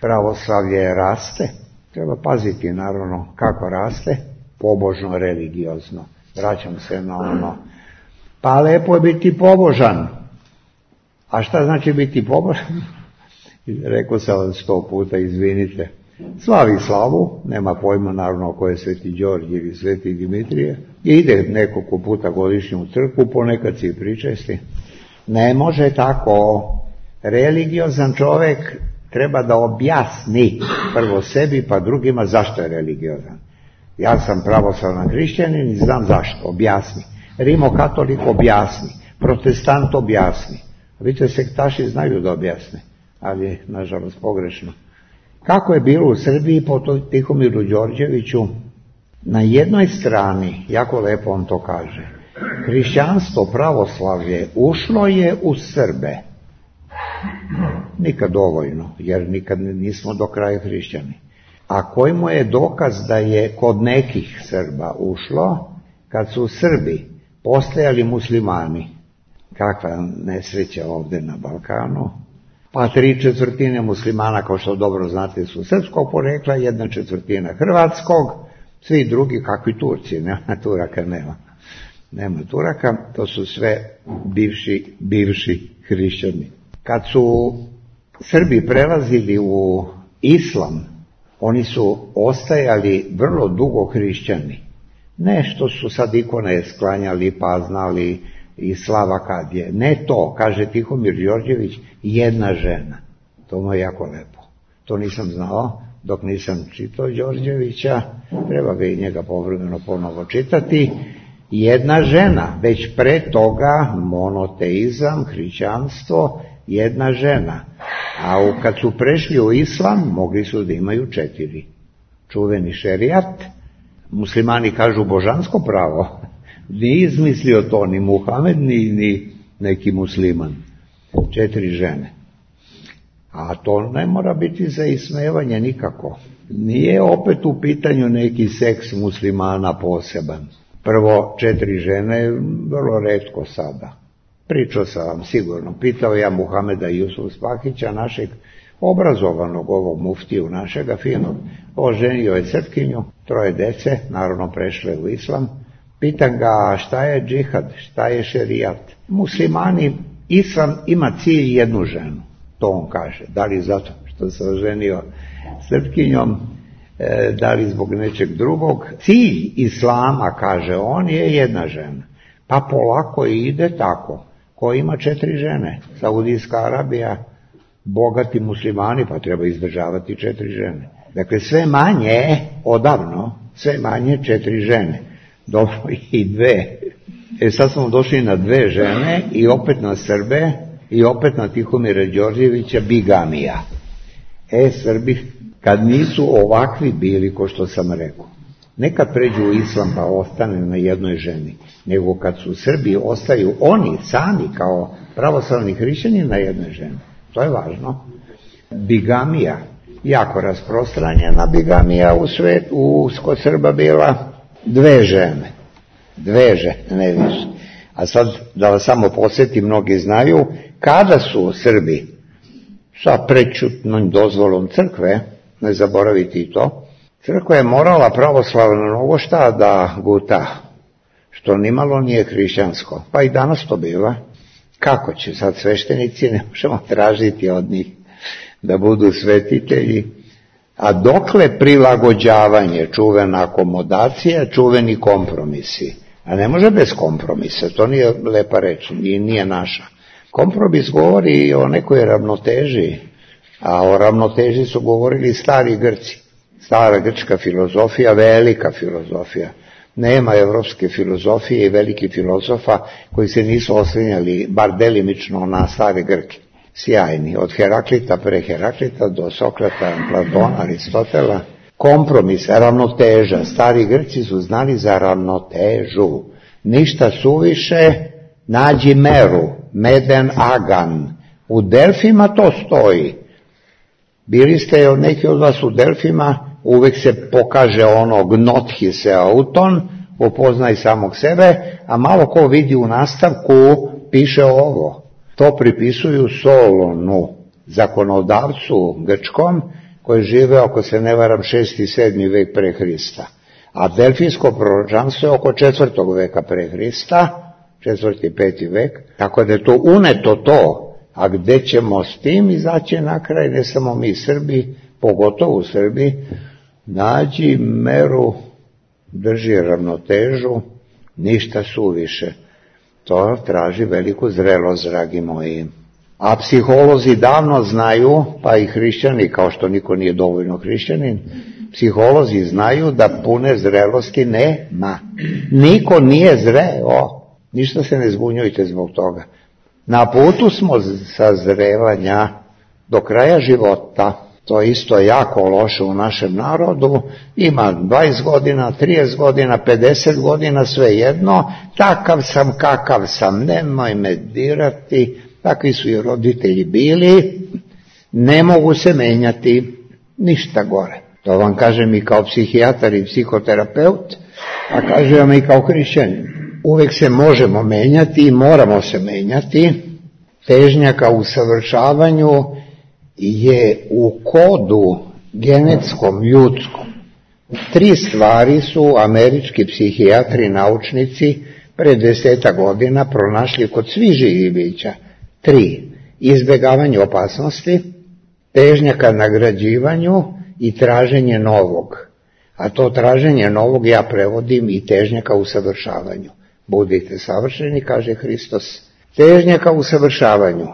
Pravoslavlje raste. Treba paziti, naravno, kako raste. Pobožno, religiozno. Vraćam se na ono. Pa lepo je biti pobožan. A šta znači biti pobožan? Rekao sam vam 100 puta, izvinite. Slavi slavu, nema pojma naravno ko je Sveti Đorđe ili Sveti Dimitrije. Ide nekoliko puta godišnje u crkvu, ponekad se i pričesti. Ne može tako. Religiozan čovjek treba da objasni prvo sebi pa drugima zašto je religiozan. Ja sam pravoslavan hrišćanin i znam zašto, objasni. Rimokatolik objasni, protestant objasni. Vidite, sektaši znaju da objasne, ali nažalost pogrešno. Kako je bilo u Srbiji po Tihomiru Đorđeviću? Na jednoj strani, jako lepo on to kaže, hrišćanstvo, pravoslavlje ušlo je u Srbe. Nikad dovoljno, jer nikad nismo do kraja hrišćani. A koji mu je dokaz da je kod nekih Srba ušlo, kad su Srbi postajali muslimani? Kakva nesreća ovdje na Balkanu. Pa 3/4 muslimana, kao što dobro znate, su srpskog porekla, 1/4 hrvatskog, svi drugi kakvi Turci, nema Turaka, nema Turaka, to su sve bivši hrišćani. Kad su Srbi prelazili u islam, oni su ostajali vrlo dugo hrišćani. Nešto su sad ikone sklanjali pa znali i slava kad je. Ne to, kaže Tihomir Đorđević, jedna žena. To mu je jako lepo. To nisam znao dok nisam čitao Đorđevića, treba ga i njega povremeno ponovo čitati. Jedna žena, već pre toga monoteizam, hrišćanstvo, jedna žena. A kad su prešli u islam, mogli su da imaju 4. Čuveni šerijat, muslimani kažu božansko pravo. Nije izmislio to ni Muhamed, ni neki musliman. 4 žene. A to ne mora biti za ismevanje nikako. Nije opet u pitanju neki seks muslimana poseban. Prvo, 4 žene, vrlo retko sada. Pričao sam vam sigurno. Pitao ja Muhameda Jusuf Spahića, našeg obrazovanog ovog muftiju našega finog. Oženio je Srpkinju, 3 dece, naravno prešle u islam. Pitam ga šta je džihad, šta je šerijat. Muslimani, islam ima cilj jednu ženu, to on kaže. Da li zato što se oženio Srpkinjom, da li zbog nečeg drugog. Cilj islama, kaže on, je jedna žena. Pa polako ide tako. Ko ima 4 žene? Saudijska Arabija, bogati muslimani, pa treba izdržavati 4 žene. Dakle, sve manje, odavno, sve manje 4 žene. Dobro, i 2. Sad smo došli na 2 žene i opet na Srbe i opet na Tihomira Đorđevića, bigamija. Srbi, kad nisu ovakvi bili, ko što sam rekao, nekad pređu u islam pa ostane na jednoj ženi, nego kad su Srbi, ostaju oni sami kao pravoslavni hrišćani na jednoj ženi. To je važno. Bigamija, jako rasprostranjena bigamija u svijetu, kod Srba bila 2 žene. 2 žene, ne više. A sad da vas samo podsjetim, mnogi znaju, kada su Srbi sa prečutnom dozvolom crkve, ne zaboraviti i to, crkva je morala pravoslavno mnogo šta da guta, što nimalo nije hrišćansko. Pa i danas to biva. Kako će sad sveštenici, ne možemo tražiti od njih da budu svetitelji. A dokle prilagođavanje, čuvena akomodacija, čuveni kompromisi. A ne može bez kompromisa, to nije lepa reč, nije naša. Kompromis govori o nekoj ravnoteži, a o ravnoteži su govorili stari Grci. Stara grčka filozofija, velika filozofija. Nema evropske filozofije i velikih filozofa koji se nisu oslanjali, bar delimično, na stare Grke. sjajni, od Heraklita pre Heraklita do Sokrata, Platona, Aristotela. Kompromis, ravnoteža. Stari Grci su znali za ravnotežu. Ništa suviše, nađi meru, meden agan. U Delfima to stoji. Bili ste neki od vas u Delfima, uvek se pokaže ono gnothi se auton, upoznaj samog sebe, a malo ko vidi u nastavku piše ovo. To pripisuju Solonu, zakonodavcu grčkom, koji žive, ako se ne varam, 6. i 7. vek pre Hrista. A delfijsko proročanstvo je oko 4. veka pre Hrista, 4. i 5. vek, tako da je to uneto to. A gde ćemo s tim izaći na kraj, ne samo mi Srbi, pogotovo u Srbiji, nađi meru, drži ravnotežu, ništa suviše. To traži veliku zrelost, dragi moji. A psiholozi davno znaju, pa i hrišćani, kao što niko nije dovoljno hrišćanin, psiholozi znaju da pune zrelosti nema. Niko nije zreo, ništa se ne zbunjujte zbog toga. Na putu smo sazrevanja do kraja života. To je isto jako loše u našem narodu. Ima 20 godina, 30 godina, 50 godina, svejedno. Takav sam, kakav sam, nemoj me dirati. Takvi su i roditelji bili. Ne mogu se menjati, ništa gore. To vam kažem i kao psihijatar i psihoterapeut, a kažem i kao hrišćanin. Uvek se možemo menjati i moramo se menjati. Težnja ka usavršavanju je u kodu genetskom, ljudskom. 3 stvari su američki psihijatri i naučnici pre 10 godina pronašli kod svih živih bića. 3. Izbegavanje opasnosti, težnja ka nagrađivanju i traženje novog. A to traženje novog ja prevodim i težnja ka usavršavanju. Budite savršeni, kaže Hristos. Težnja ka usavršavanju.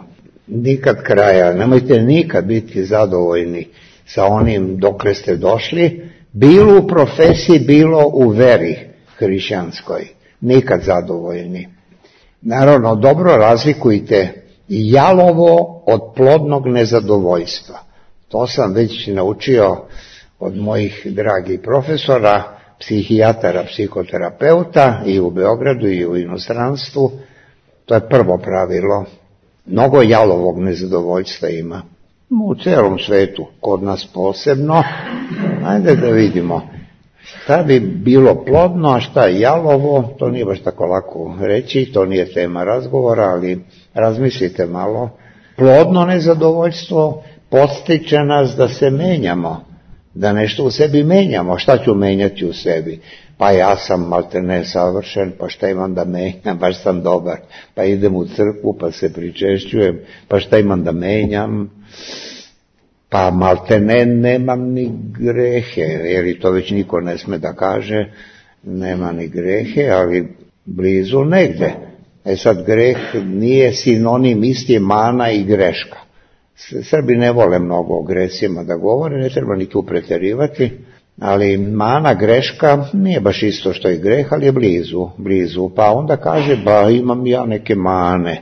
Nikad kraja, nemojte nikad biti zadovoljni sa onim dokle ste došli, bilo u profesiji, bilo u veri hrišćanskoj. Nikad zadovoljni. Naravno, dobro razlikujte jalovo od plodnog nezadovoljstva. To sam već naučio od mojih dragih profesora, psihijatara, psihoterapeuta i u Beogradu i u inostranstvu. To je prvo pravilo. Mnogo jalovog nezadovoljstva ima. U celom svetu, kod nas posebno. Ajde da vidimo. Šta bi bilo plodno, a šta je jalovo, to nije baš tako lako reći, to nije tema razgovora, ali razmislite malo. Plodno nezadovoljstvo podstiče nas da se menjamo, da nešto u sebi menjamo. Šta ću menjati u sebi? Pa ja sam maltene savršen, pa šta imam da menjam, baš sam dobar. Pa idem u crkvu, pa se pričešćujem, pa šta imam da menjam? Pa maltene nemam ni grehe, jer i to već niko ne sme da kaže, nema ni grehe, ali blizu negde. Sad greh nije sinonim, isti mana i greška. Srbi ne vole mnogo o gresima da govore, ne treba ni tu preterivati, ali mana, greška nije baš isto što je greh, ali je blizu. Pa onda kaže, ba imam ja neke mane,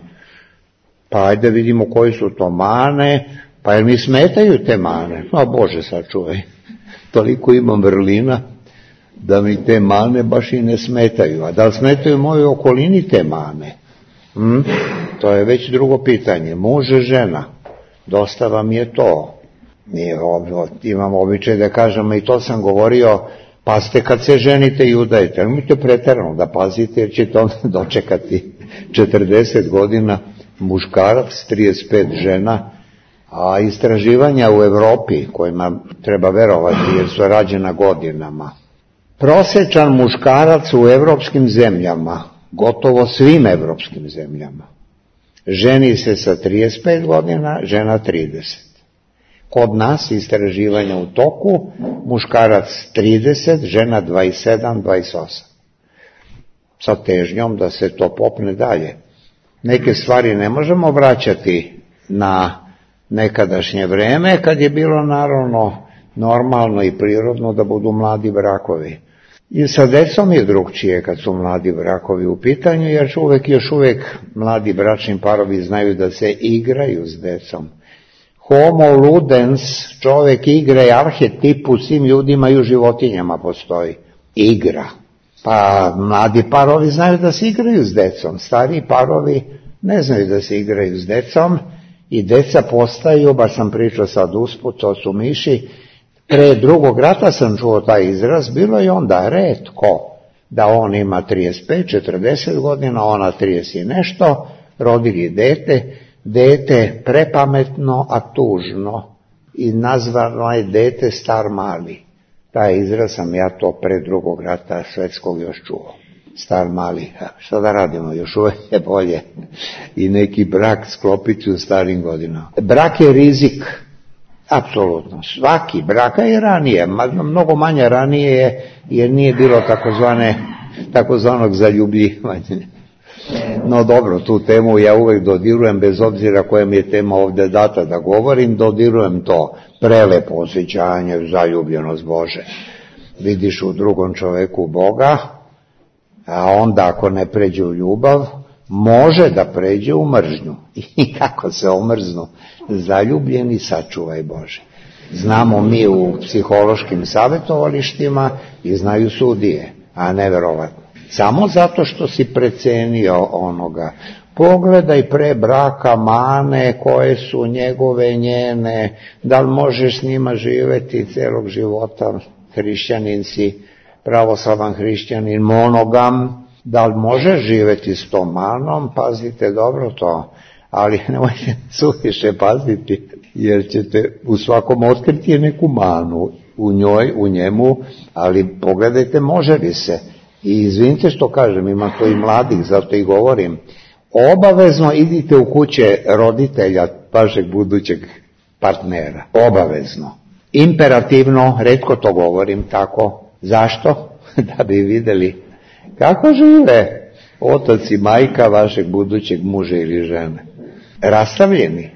pa ajde vidimo koji su to mane, pa jer mi smetaju te mane. No Bože sačuvaj, toliko imam vrlina da mi te mane baš i ne smetaju. A da li smetaju mojoj okolini te mane? To je već drugo pitanje. Muž, žena, dosta vam je to. Imam običaj da kažem, i to sam govorio, pazite kad se ženite i udajete, nemojte preterano da pazite, jer ćete onda dočekati 40 godina muškarac, 35 žena, a istraživanja u Evropi, kojima treba verovati jer su rađena godinama. Prosečan muškarac u evropskim zemljama, gotovo svim evropskim zemljama, ženi se sa 35 godina, žena 30. Kod nas istraživanja u toku, muškarac 30, žena 27, 28. Sa težnjom da se to popne dalje. Neke stvari ne možemo vraćati na nekadašnje vreme, kad je bilo naravno normalno i prirodno da budu mladi brakovi. I sa decom je drugčije kad su mladi brakovi u pitanju, jer još uvek mladi bračni parovi znaju da se igraju s decom. Homo ludens, čovek igra je arhetip u svim ljudima i u životinjama postoji. Igra. Pa mladi parovi znaju da se igraju s decom, stariji parovi ne znaju da se igraju s decom i deca postaju, baš sam pričao sad usput, to su miši, pre Drugog rata sam čuo taj izraz, bilo je onda retko da on ima 35-40 godina, ona 30 i nešto, rodili dete prepametno, a tužno i nazvano je dete star mali. Taj izraz sam ja to pre Drugog rata svetskog još čuo. Star mali, šta da radimo, još uvek je bolje i neki brak sklopiti u starim godinama. Brak je rizik, apsolutno, svaki brak, a i ranije, mnogo manje ranije je, jer nije bilo takozvanog zaljubljivanja. No dobro, tu temu ja uvek dodirujem, bez obzira koja mi je tema ovde data da govorim, dodirujem to prelepo osjećanje, zaljubljenost Bože. Vidiš u drugom čoveku Boga, a onda ako ne pređe u ljubav, može da pređe u mržnju. I kako se omrznu zaljubljeni, sačuvaj Bože. Znamo mi u psihološkim savjetovalištima i znaju sudije, a neverovatno. Samo zato što si precenio onoga. Pogledaj pre braka mane koje su njegove, njene, da li možeš s njima živeti celog života, hrišćanin si, pravoslavan hrišćanin, monogam, da li možeš živeti s tom manom, pazite dobro to, ali nemojte suviše paziti, jer ćete u svakom otkriti neku manu u njoj, u njemu, ali pogledajte može li se. I izvinite što kažem, ima to i mladih, zato i govorim, obavezno idite u kuće roditelja vašeg budućeg partnera, obavezno. Imperativno, retko to govorim tako. Zašto? Da bi videli kako žive otac i majka vašeg budućeg muža ili žene. Rastavljeni,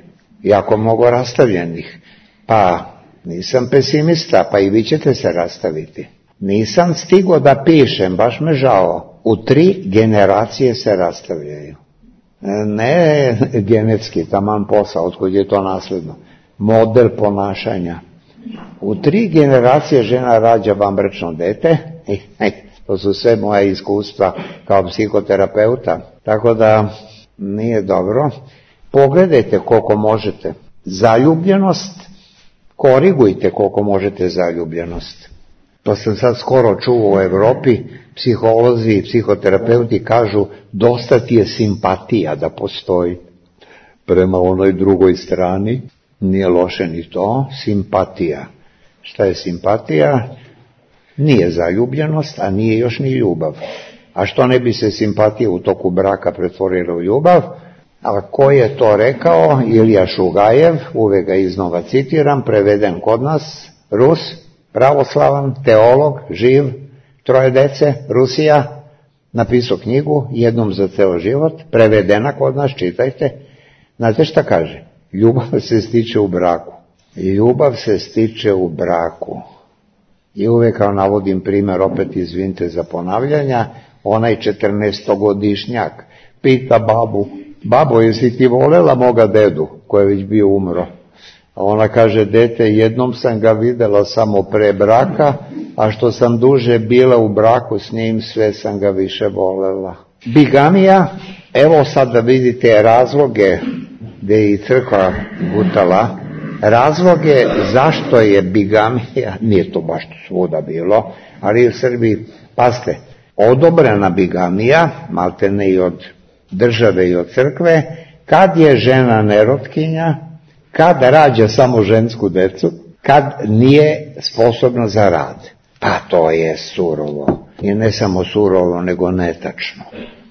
jako mnogo rastavljenih. Pa nisam pesimista, pa i vi ćete se rastaviti. Nisam stigo da pišem, baš me žao. U 3 generacije se rastavljaju. Ne genetski, taman posao, otkud je to nasledno. Model ponašanja. U 3 generacije žena rađa vanbračno dete. To su sve moja iskustva kao psihoterapeuta. Tako da nije dobro. Pogledajte koliko možete. Zaljubljenost, korigujte koliko možete zaljubljenost. To sam sad skoro čuo u Evropi, psiholozi i psihoterapeuti kažu dosta ti je simpatija da postoji prema onoj drugoj strani, nije loše ni to, simpatija. Šta je simpatija? Nije zaljubljenost, a nije još ni ljubav. A što ne bi se simpatija u toku braka pretvorila u ljubav? A ko je to rekao? Ilija Šugajev, uvek ga iznova citiram, preveden kod nas, Rus, pravoslavan, teolog, živ, 3 dece, Rusija, napisao knjigu, jednom za ceo život, prevedena kod nas, čitajte. Znate šta kaže? Ljubav se stiče u braku. Ljubav se stiče u braku. I uvek kao navodim primjer, opet izvinite za ponavljanja, onaj 14-godišnjak pita babu, babo, jesi ti volela moga dedu, koji je već bio umro? A ona kaže, dete, jednom sam ga videla samo pre braka, a što sam duže bila u braku s njim, sve sam ga više volela. Bigamija, evo sad da vidite razloge gde je i crkva gutala, razloge zašto je bigamija, nije to baš svuda bilo, ali u Srbiji, pazite, odobrena bigamija, maltene i od države i od crkve, kad je žena nerotkinja, kad rađa samo žensku decu, kad nije sposobna za rad. Pa to je surovo. I ne samo surovo, nego netačno.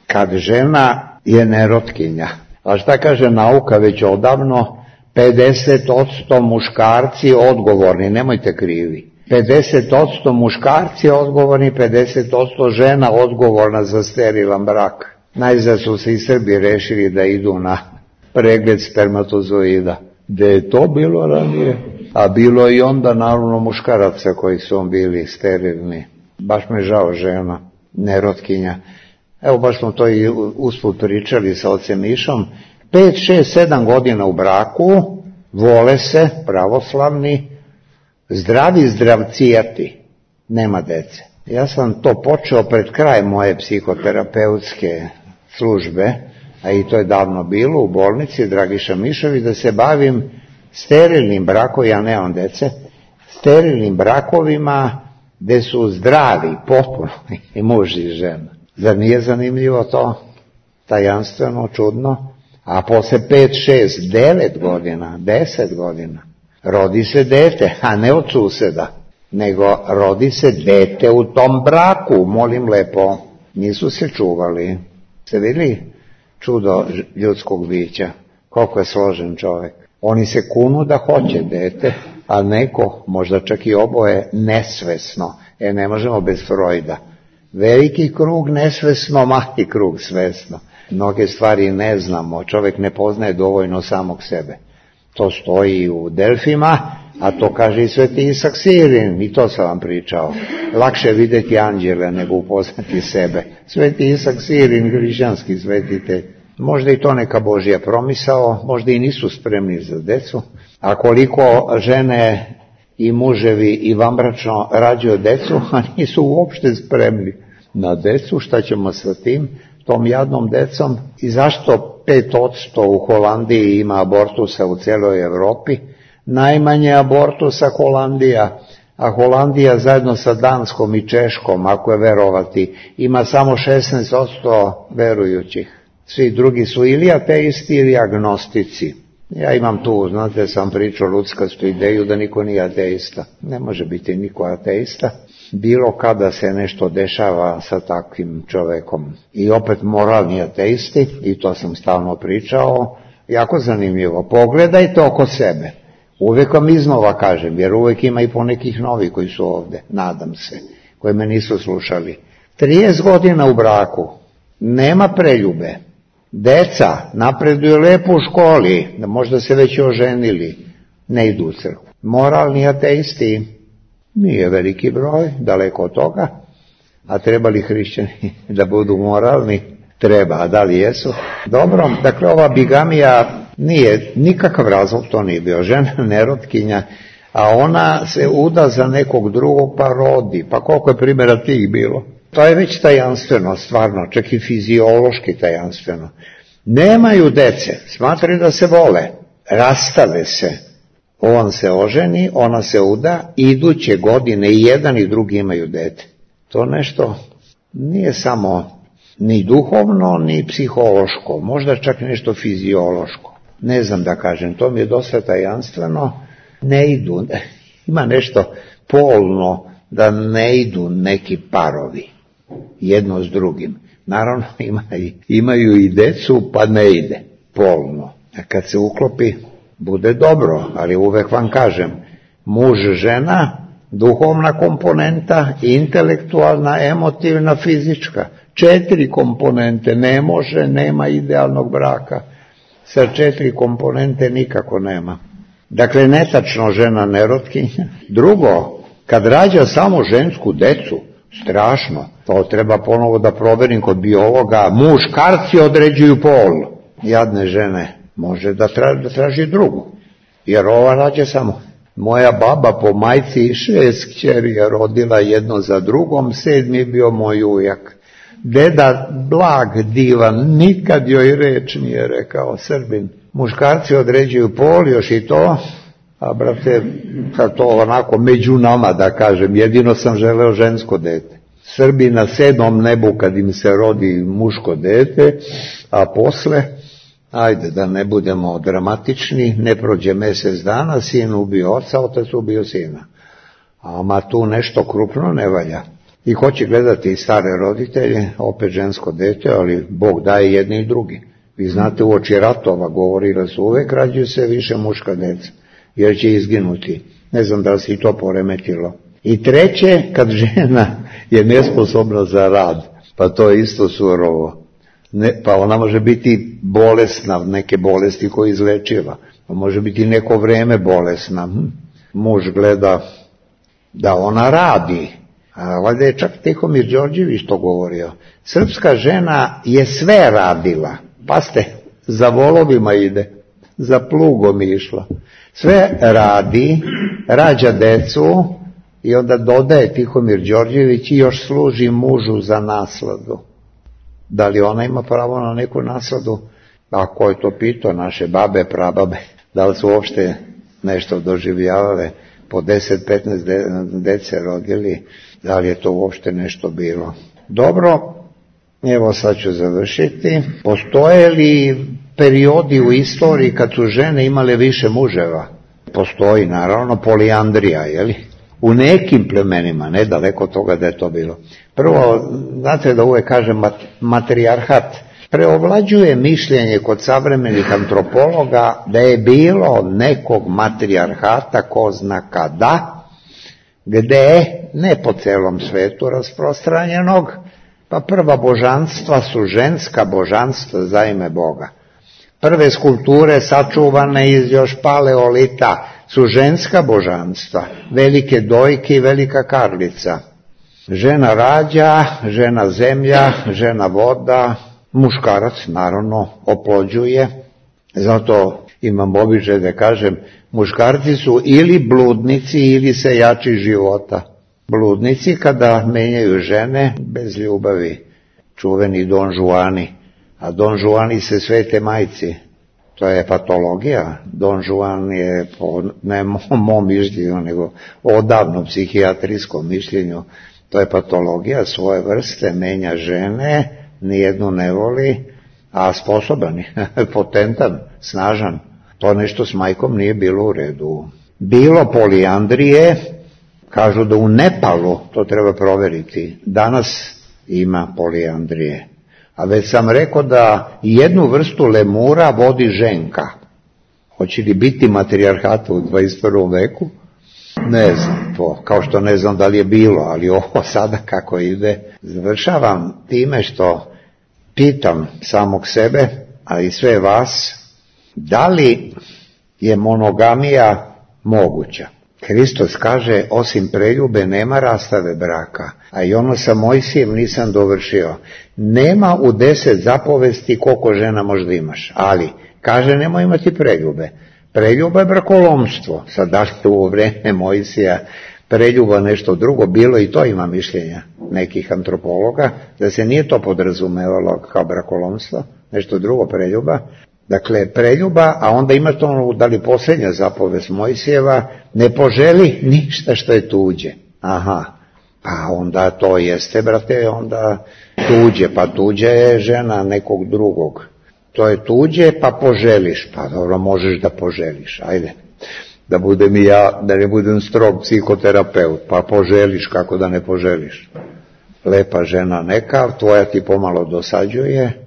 Kad žena je nerotkinja. A šta kaže nauka već odavno? 50% muškarci odgovorni, nemojte krivi. 50% muškarci odgovorni, 50% žena odgovorna za sterilan brak. Najzad su se i Srbi rešili da idu na pregled spermatozoida. Gde je to bilo ranije? A bilo i onda naravno muškaraca koji su bili sterilni. baš me žao žena, nerotkinja. Evo baš smo to i usput pričali sa ocem Mišom. 5, 6, 7 godina u braku, vole se, pravoslavni, zdravi zdravcijati, nema dece. Ja sam to počeo pred kraj moje psihoterapeutske službe, a i to je davno bilo u bolnici Dragiša Mišović, da se bavim sterilnim brakovima, ja nemam dece, sterilnim brakovima gde su zdravi, potpuno, i muž i žena. Zar nije zanimljivo to? Tajanstveno, čudno? A posle 5, 6, 9 godina, 10 godina, rodi se dete, a ne od suseda, nego rodi se dete u tom braku, molim lepo, nisu se čuvali. Ste vidjeli čudo ljudskog bića, koliko je složen čovjek. Oni se kunu da hoće dete, a neko, možda čak i oboje, nesvesno. Ne možemo bez Freuda. Veliki krug nesvesno, mali krug svesno. Mnoge stvari ne znamo, čovjek ne poznaje dovoljno samog sebe. To stoji u Delfima, a to kaže i Sveti Isak Sirin, i to sam vam pričao. Lakše je vidjeti anđele nego upoznati sebe. Sveti Isak Sirin, hrišćanski svetitelj. Možda i to neka Božja promisao, možda i nisu spremni za decu, a koliko žene i muževi i vanbračno rađaju decu, a nisu uopšte spremni na decu, šta ćemo sa tim, tom jadnom decom, i zašto 5% u Holandiji ima abortusa u cijeloj Evropi, najmanje abortusa Holandija, a Holandija zajedno sa Danskom i Češkom, ako je verovati, ima samo 16% verujućih. Svi drugi su ili ateisti ili agnostici. Ja imam tu, znate, sam pričao ludskastu ideju da niko nije ateista. Ne može biti niko ateista. Bilo kada se nešto dešava sa takvim čovekom. I opet moralni ateisti, i to sam stalno pričao, jako zanimljivo. Pogledajte oko sebe. Uvijek vam iznova kažem, jer uvijek ima i ponekih novi koji su ovde, nadam se, koji me nisu slušali. 30 godina u braku, nema preljube. Deca napreduju lepo u školi, da možda se već oženili, ne idu u crkvu. Moralni ateisti, nije veliki broj, daleko od toga, a treba li hrišćani da budu moralni? Treba, a da li jesu? Dobro, dakle ova bigamija nije nikakav razlog, to nije bio, žena nerotkinja, a ona se uda za nekog drugog pa rodi, pa koliko je primjera tih bilo? To je već tajanstveno, stvarno, čak i fiziološki tajanstveno. Nemaju dece, smatraju da se vole, rastave se. On se oženi, ona se uda, iduće godine i jedan i drugi imaju dete. To nešto nije samo ni duhovno, ni psihološko, možda čak nešto fiziološko. Ne znam da kažem, to mi je dosta tajanstveno, ne idu, ima nešto polno da ne idu neki parovi jedno s drugim. Naravno imaju i decu pa ne ide polno. A kad se uklopi bude dobro, ali uvek vam kažem, muž, žena, duhovna komponenta, intelektualna, emotivna, fizička. 4 komponente, ne može, nema idealnog braka. Sa 4 komponente nikako nema. Dakle, netačno žena nerotkinja. Drugo, kad rađa samo žensku decu, strašno, to treba ponovo da proverim kod biologa, muškarci određuju pol. Jadne žene, može da traži drugu, jer ova rađa samo. Moja baba po majci 6 kćeri je rodila jedno za drugom, 7 je bio moj ujak. Deda blag, divan, nikad joj reč nije rekao, Srbin. Muškarci određuju pol, još i to, a brate, kad to onako među nama da kažem, jedino sam želeo žensko dete. Srbi na 7. nebu kad im se rodi muško dete, a posle, ajde da ne budemo dramatični, ne prođe mjesec dana, sin ubio oca, otac ubio sina. A tu nešto krupno ne valja. I hoće gledati i stare roditelje, opet žensko dete, ali Bog daje jedni i drugi. Vi znate, u oči ratova govori da su uvek rađaju se više muška deca, jer će izginuti. Ne znam da li se i to poremetilo. I treće, kad žena je nesposobna za rad, pa to je isto surovo. Pa ona može biti bolesna, neke bolesti koje izlečiva. Pa može biti neko vreme bolesna. Muž gleda da ona radi, A valjda je čak Tihomir Đorđević to govorio. Srpska žena je sve radila. Pazite, za volovima ide, za plugom išla. Sve radi, rađa decu i onda dodaje Tihomir Đorđević i još služi mužu za nasladu. Da li ona ima pravo na neku nasladu? A ko je to pitao? Naše babe, prababe. Da li su uopšte nešto doživljavale? Po 10-15 dece rodili, da li je to uopšte nešto bilo? Dobro, evo sad ću završiti. Postoje li periodi u istoriji kad su žene imale više muževa? Postoji, naravno, polijandrija, jeli? U nekim plemenima, ne daleko od toga da je to bilo. Prvo, znate da uvek kažem matrijarhat, preovlađuje mišljenje kod savremenih antropologa da je bilo nekog matrijarhata, ko zna kada, gde, ne po celom svetu rasprostranjenog, pa prva božanstva su ženska božanstva za ime Boga. Prve skulpture sačuvane iz još paleolita su ženska božanstva, velike dojke i velika karlica. Žena rađa, žena zemlja, žena voda, muškarac naravno oplođuje, zato imam običaj da kažem, muškarci su ili bludnici ili sejači života. Bludnici kada menjaju žene bez ljubavi, čuveni Don Juani, a Don Juani se svete majci, to je patologija. Don Juan je po ne mom mišljenju, nego odavno psihijatrijskom mišljenju, to je patologija svoje vrste, menja žene, nijednu ne voli, a sposoban je, potentan, snažan. To nešto s majkom nije bilo u redu. Bilo polijandrije, kažu da u Nepalu, to treba proveriti, danas ima polijandrije. A već sam rekao da jednu vrstu lemura vodi ženka. Hoće li biti matrijarhata u 21. veku? Ne znam to, kao što ne znam da li je bilo, ali ovo sada kako ide. Završavam time što pitam samog sebe, a i sve vas, da li je monogamija moguća? Hristos kaže, osim preljube nema rastave braka, a i ono sa Mojsijem nisam dovršio. Nema u 10 zapovesti koliko žena možda imaš, ali kaže nemoj imati preljube. Preljuba je brakolomstvo. Sad da li u vreme Mojsija preljuba nešto drugo, bilo i to ima mišljenja nekih antropologa, da se nije to podrazumevalo kao brakolomstvo, nešto drugo preljuba. Dakle, preljuba, a onda ima to, da li posljednja zapovest Mojsijeva, ne poželi ništa što je tuđe. Aha, pa onda to jeste, brate, onda tuđe, pa tuđe je žena nekog drugog. To je tuđe, pa poželiš, pa dobro, možeš da poželiš, ajde. Da budem i ja, da ne budem strog psihoterapeut, pa poželiš, kako da ne poželiš. Lepa žena neka, tvoja ti pomalo dosađuje.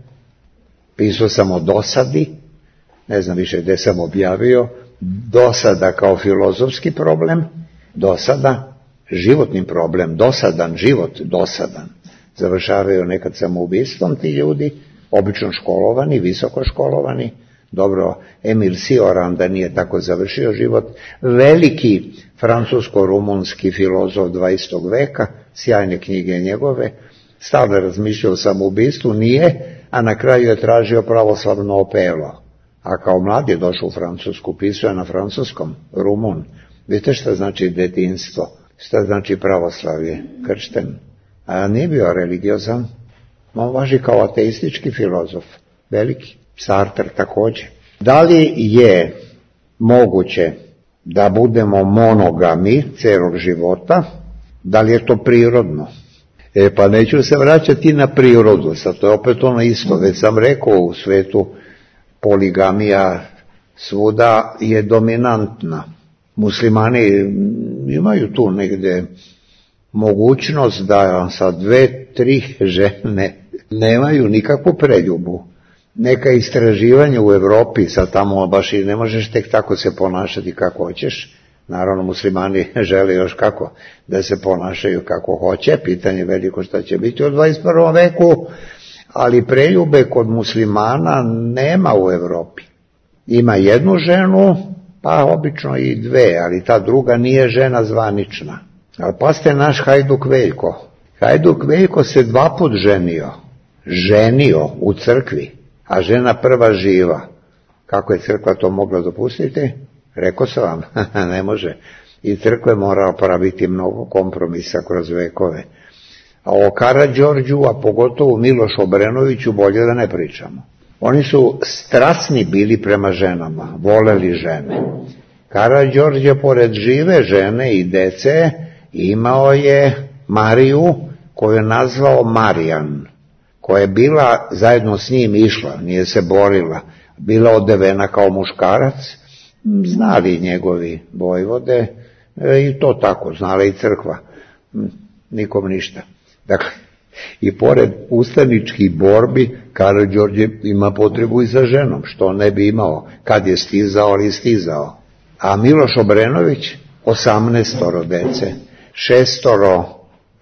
Pisao sam o dosadi, ne znam više gde sam objavio, dosada kao filozofski problem, dosada, životni problem, dosadan život, dosadan. Završavaju nekad samoubistvom ti ljudi, obično školovani, visoko školovani. Dobro, Emil Cioran da nije tako završio život, veliki francusko-rumunski filozof 20. veka, sjajne knjige njegove, stalno razmišljao o samoubistvu, nije, a na kraju je tražio pravoslavno opelo. A kao mlad je došao u Francusku, pisao je na francuskom, Rumun. Vidite šta znači detinjstvo, šta znači pravoslavlje, kršten. A nije bio religiozan, on važi kao ateistički filozof, veliki, Sartre također. Da li je moguće da budemo monogami celog života, da li je to prirodno? Pa neću se vraćati na prirodu, sad to je opet ono isto, već sam rekao u svetu poligamija svuda je dominantna. Muslimani imaju tu negde mogućnost da sa 2-3 žene nemaju nikakvu preljubu. Neka istraživanja u Evropi, sad tamo baš i ne možeš tek tako se ponašati kako hoćeš. Naravno, muslimani žele još kako da se ponašaju kako hoće, pitanje veliko šta će biti u 21. veku, ali preljube kod muslimana nema u Evropi. Ima jednu ženu, pa obično i 2, ali ta druga nije žena zvanična. Ali pazite naš Hajduk Veljko. Hajduk Veljko se 2 put ženio u crkvi, a žena prva živa. Kako je crkva to mogla dopustiti? Rekao sam vam, ne može. I crkva je morala praviti mnogo kompromisa kroz vekove. A o Karađorđu, a pogotovo Miloš Obrenoviću, bolje da ne pričamo. Oni su strasni bili prema ženama, voleli žene. Karađorđe, pored žive žene i dece, imao je Mariju, koju je nazvao Marijan, koja je bila zajedno s njim išla, nije se borila, bila odevena kao muškarac, znali njegovi vojvode, i to tako, znala i crkva, nikom ništa. Dakle, i pored ustaničkih borbi, Karađorđe ima potrebu i za ženom, što ne bi imao, kad je stizao, ali stizao. A Miloš Obrenović, 18 dece, 6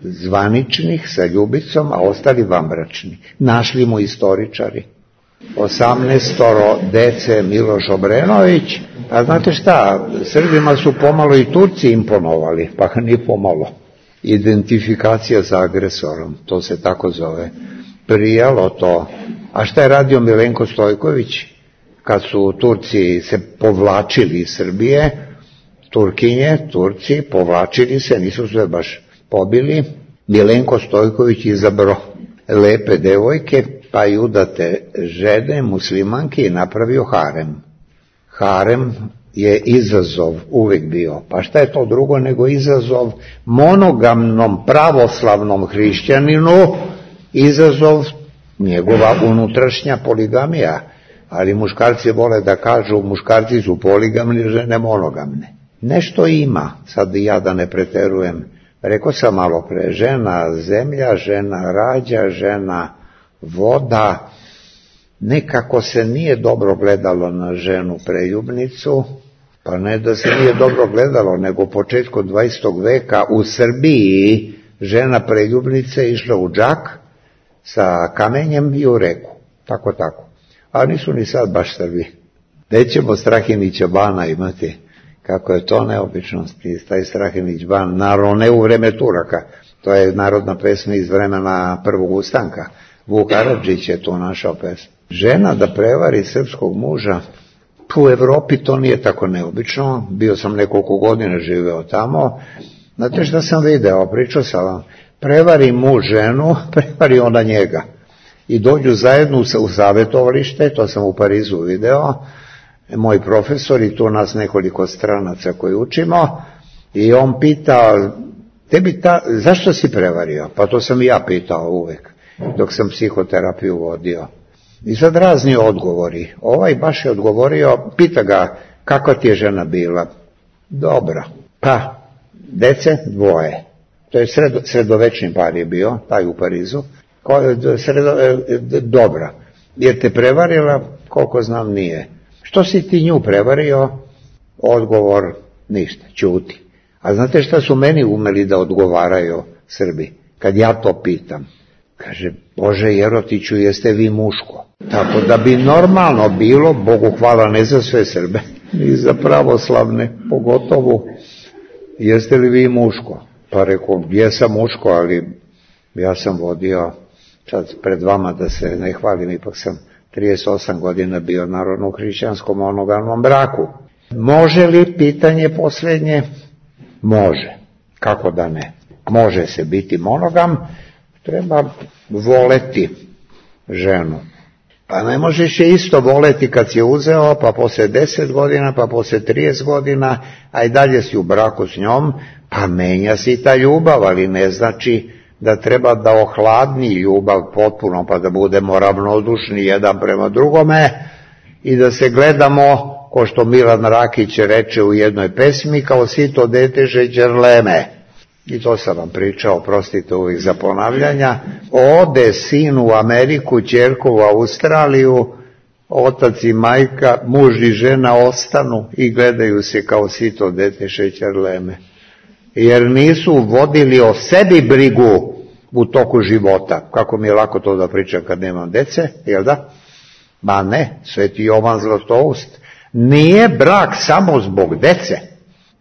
zvaničnih sa ljubicom, a ostali vanbračni. Našli mu istoričari. 18 dece Miloš Obrenović, a znate šta, Srbima su pomalo i Turci imponovali, pa ni pomalo. Identifikacija sa agresorom, to se tako zove. Prijalo to. A šta je radio Milenko Stojković? Kad su Turci se povlačili iz Srbije, Turkinje, Turci, povlačili se, nisu sve baš pobili, Milenko Stojković izabrao lepe devojke, pa i udate žene, muslimanke, i napravio harem. Harem je izazov uvijek bio. Pa šta je to drugo nego izazov monogamnom pravoslavnom hrišćaninu, izazov njegova unutrašnja poligamija. Ali muškarci vole da kažu, muškarci su poligamni, žene monogamne. Nešto ima, sad ja da ne preterujem. Rekao sam malo pre, žena zemlja, žena rađa, žena voda. Nekako se nije dobro gledalo na ženu preljubnicu, pa ne da se nije dobro gledalo, nego početkom 20. veka u Srbiji žena preljubnica išla u džak sa kamenjem i u reku. Tako. A nisu ni sad baš Srbi. Gde ćemo Strahinića bana imati? Kako je to neobično, taj Strahinić ban, naravno ne u vreme Turaka, to je narodna pesma iz vremena prvog ustanka. Vuk Karadžić je to našao pesmu. Žena da prevari srpskog muža, u Evropi to nije tako neobično, bio sam nekoliko godina živeo tamo, znate šta sam video, pričao sam vam, prevari muž ženu, prevari ona njega. I dođu zajedno u savjetovalište, to sam u Parizu video, moj profesor i tu nas nekoliko stranaca koji učimo, i on pita, zašto si prevario? Pa to sam i ja pitao uvek, dok sam psihoterapiju vodio. I sad razni odgovori. Ovaj baš je odgovorio, pita ga, kakva ti je žena bila? Dobra. Pa, dece 2. To je sredovečni par je bio, taj u Parizu. Dobra. Jer te prevarila, koliko znam nije. Što si ti nju prevario? Odgovor, ništa, ćuti. A znate šta su meni umeli da odgovaraju Srbi? Kad ja to pitam. Kaže, Bože Jerotiću, jeste vi muško? Tako da bi normalno bilo, Bogu hvala ne za sve Srbe, ni za pravoslavne, pogotovo, jeste li vi muško? Pa rekao, jesam muško, ali ja sam vodio, sad pred vama da se ne hvalim, ipak sam 38 godina bio narodno hrišćanskom monogamnom braku. Može li, pitanje posljednje? Može. Kako da ne? Može se biti monogam, treba voleti ženu. Pa ne možeš je isto voleti kad si je uzeo, pa poslije 10 godina, pa poslije 30 godina, a i dalje si u braku s njom, pa menja si ta ljubav, ali ne znači da treba da ohladni ljubav potpuno, pa da budemo ravnodušni jedan prema drugome i da se gledamo, ko što Milan Rakić reče u jednoj pesmi, kao sito dete žeđerleme. I to sam vam pričao, prostite uvijek za ponavljanja. Ode sin u Ameriku, ćerku u Australiju, otac i majka, muž i žena ostanu i gledaju se kao sito dete šećerleme. Jer nisu vodili o sebi brigu u toku života. Kako mi je lako to da pričam kad nemam dece, jel da? Ma ne, Sveti Jovan Zlatoust. Nije brak samo zbog dece,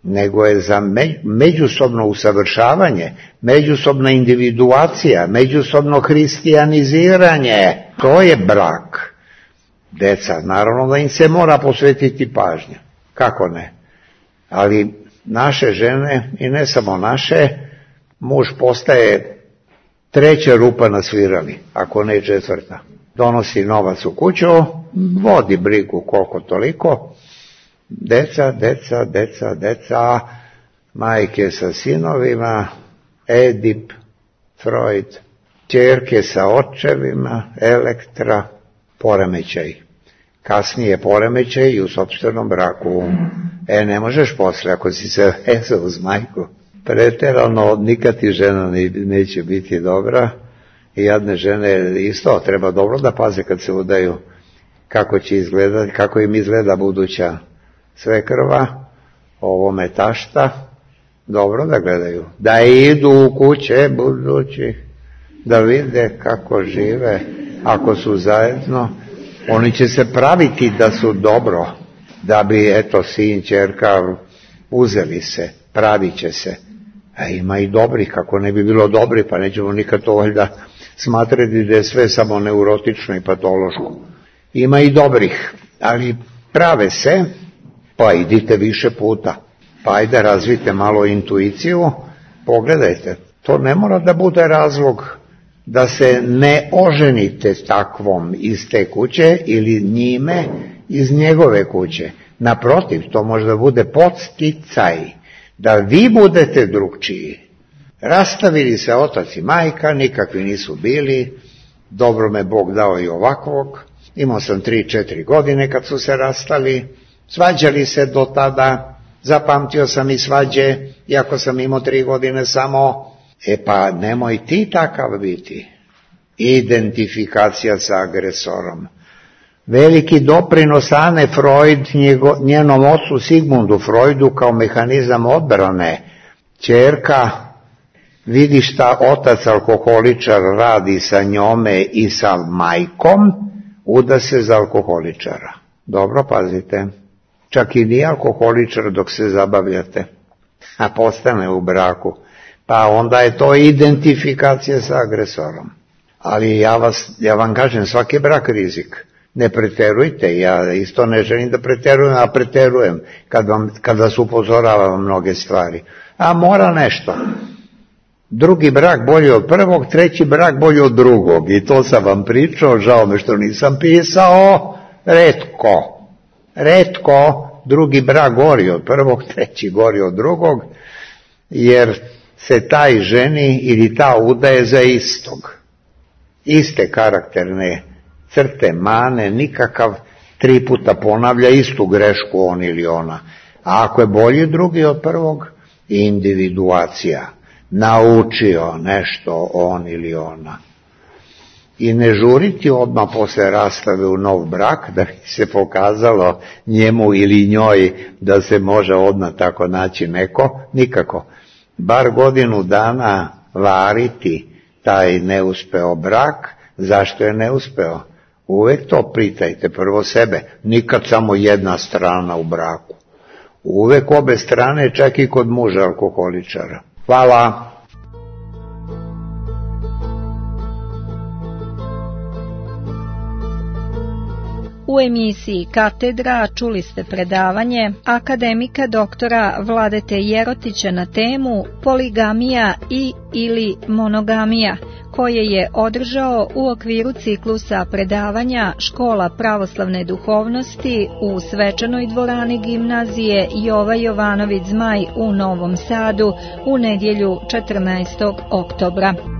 nego je za međusobno usavršavanje, međusobna individuacija, međusobno hristijaniziranje. To je brak. Deca, naravno da im se mora posvetiti pažnja. Kako ne? Ali naše žene, i ne samo naše, muž postaje treća rupa na svirali, ako ne četvrta. Donosi novac u kuću, vodi brigu koliko toliko, deca, majke sa sinovima, Edip, Freud, ćerke sa očevima, Elektra, poremećaj. Kasnije poremećaj i u sopstvenom braku. Ne možeš posle, ako si se vezao uz majku. Preterano, nikad ti žena neće biti dobra. I jadne žene isto treba dobro da paze kad se udaju kako će izgledati, kako im izgleda buduća svekrva, ovome tašta, dobro da gledaju. Da idu u kuće budući, da vide kako žive, ako su zajedno, oni će se praviti da su dobro, da bi, eto, sin, ćerka, uzeli se, pravit će se. A ima i dobrih, kako ne bi bilo dobri, pa nećemo nikad to valjda smatrati da je sve samo neurotično i patološko. Ima i dobrih, ali prave se, pa idite više puta, pa ajde razvite malo intuiciju, pogledajte, to ne mora da bude razlog da se ne oženite takvom iz te kuće ili njime iz njegove kuće. Naprotiv, to možda bude podsticaj da vi budete drugčiji. Rastavili se otac i majka, nikakvi nisu bili, dobro me Bog dao i ovakvog, imao sam 3-4 godine kad su se rastali, svađali se do tada, zapamtio sam i svađe, iako sam imao 3 godine samo. Pa nemoj ti takav biti. Identifikacija sa agresorom. Veliki doprinos Ane Freud njenom ocu Sigmundu Freudu kao mehanizam odbrane. Ćerka vidi šta otac alkoholičar radi sa njome i sa majkom, uda se za alkoholičara. Dobro, pazite. Čak i nije alkoholičar dok se zabavljate, a postane u braku. Pa onda je to identifikacija sa agresorom. Ali ja vam kažem, svaki brak rizik. Ne preterujte, ja isto ne želim da preterujem, a preterujem kad vas upozoravam mnoge stvari. A mora nešto. Drugi brak bolji od prvog, treći brak bolji od drugog. I to sam vam pričao, žao me što nisam pisao, retko, drugi brak gori od prvog, treći gori od drugog, jer se taj ženi ili ta udaje za istog. Iste karakterne crte, mane, nikakav 3 puta ponavlja istu grešku on ili ona. A ako je bolji drugi od prvog, individuacija. Naučio nešto on ili ona. I ne žuriti odmah posle rastave u nov brak, da bi se pokazalo njemu ili njoj da se može odmah tako naći neko, nikako. Bar godinu dana variti taj neuspeo brak. Zašto je neuspeo? Uvek to pitajte prvo sebe, nikad samo jedna strana u braku. Uvek obe strane, čak i kod muža alkoholičara. Hvala. U emisiji Katedra čuli ste predavanje akademika doktora Vladete Jerotića na temu poligamija i ili monogamija, koje je održao u okviru ciklusa predavanja Škola pravoslavne duhovnosti u svečanoj dvorani gimnazije Jova Jovanović Zmaj u Novom Sadu u nedjelju 14. oktobra.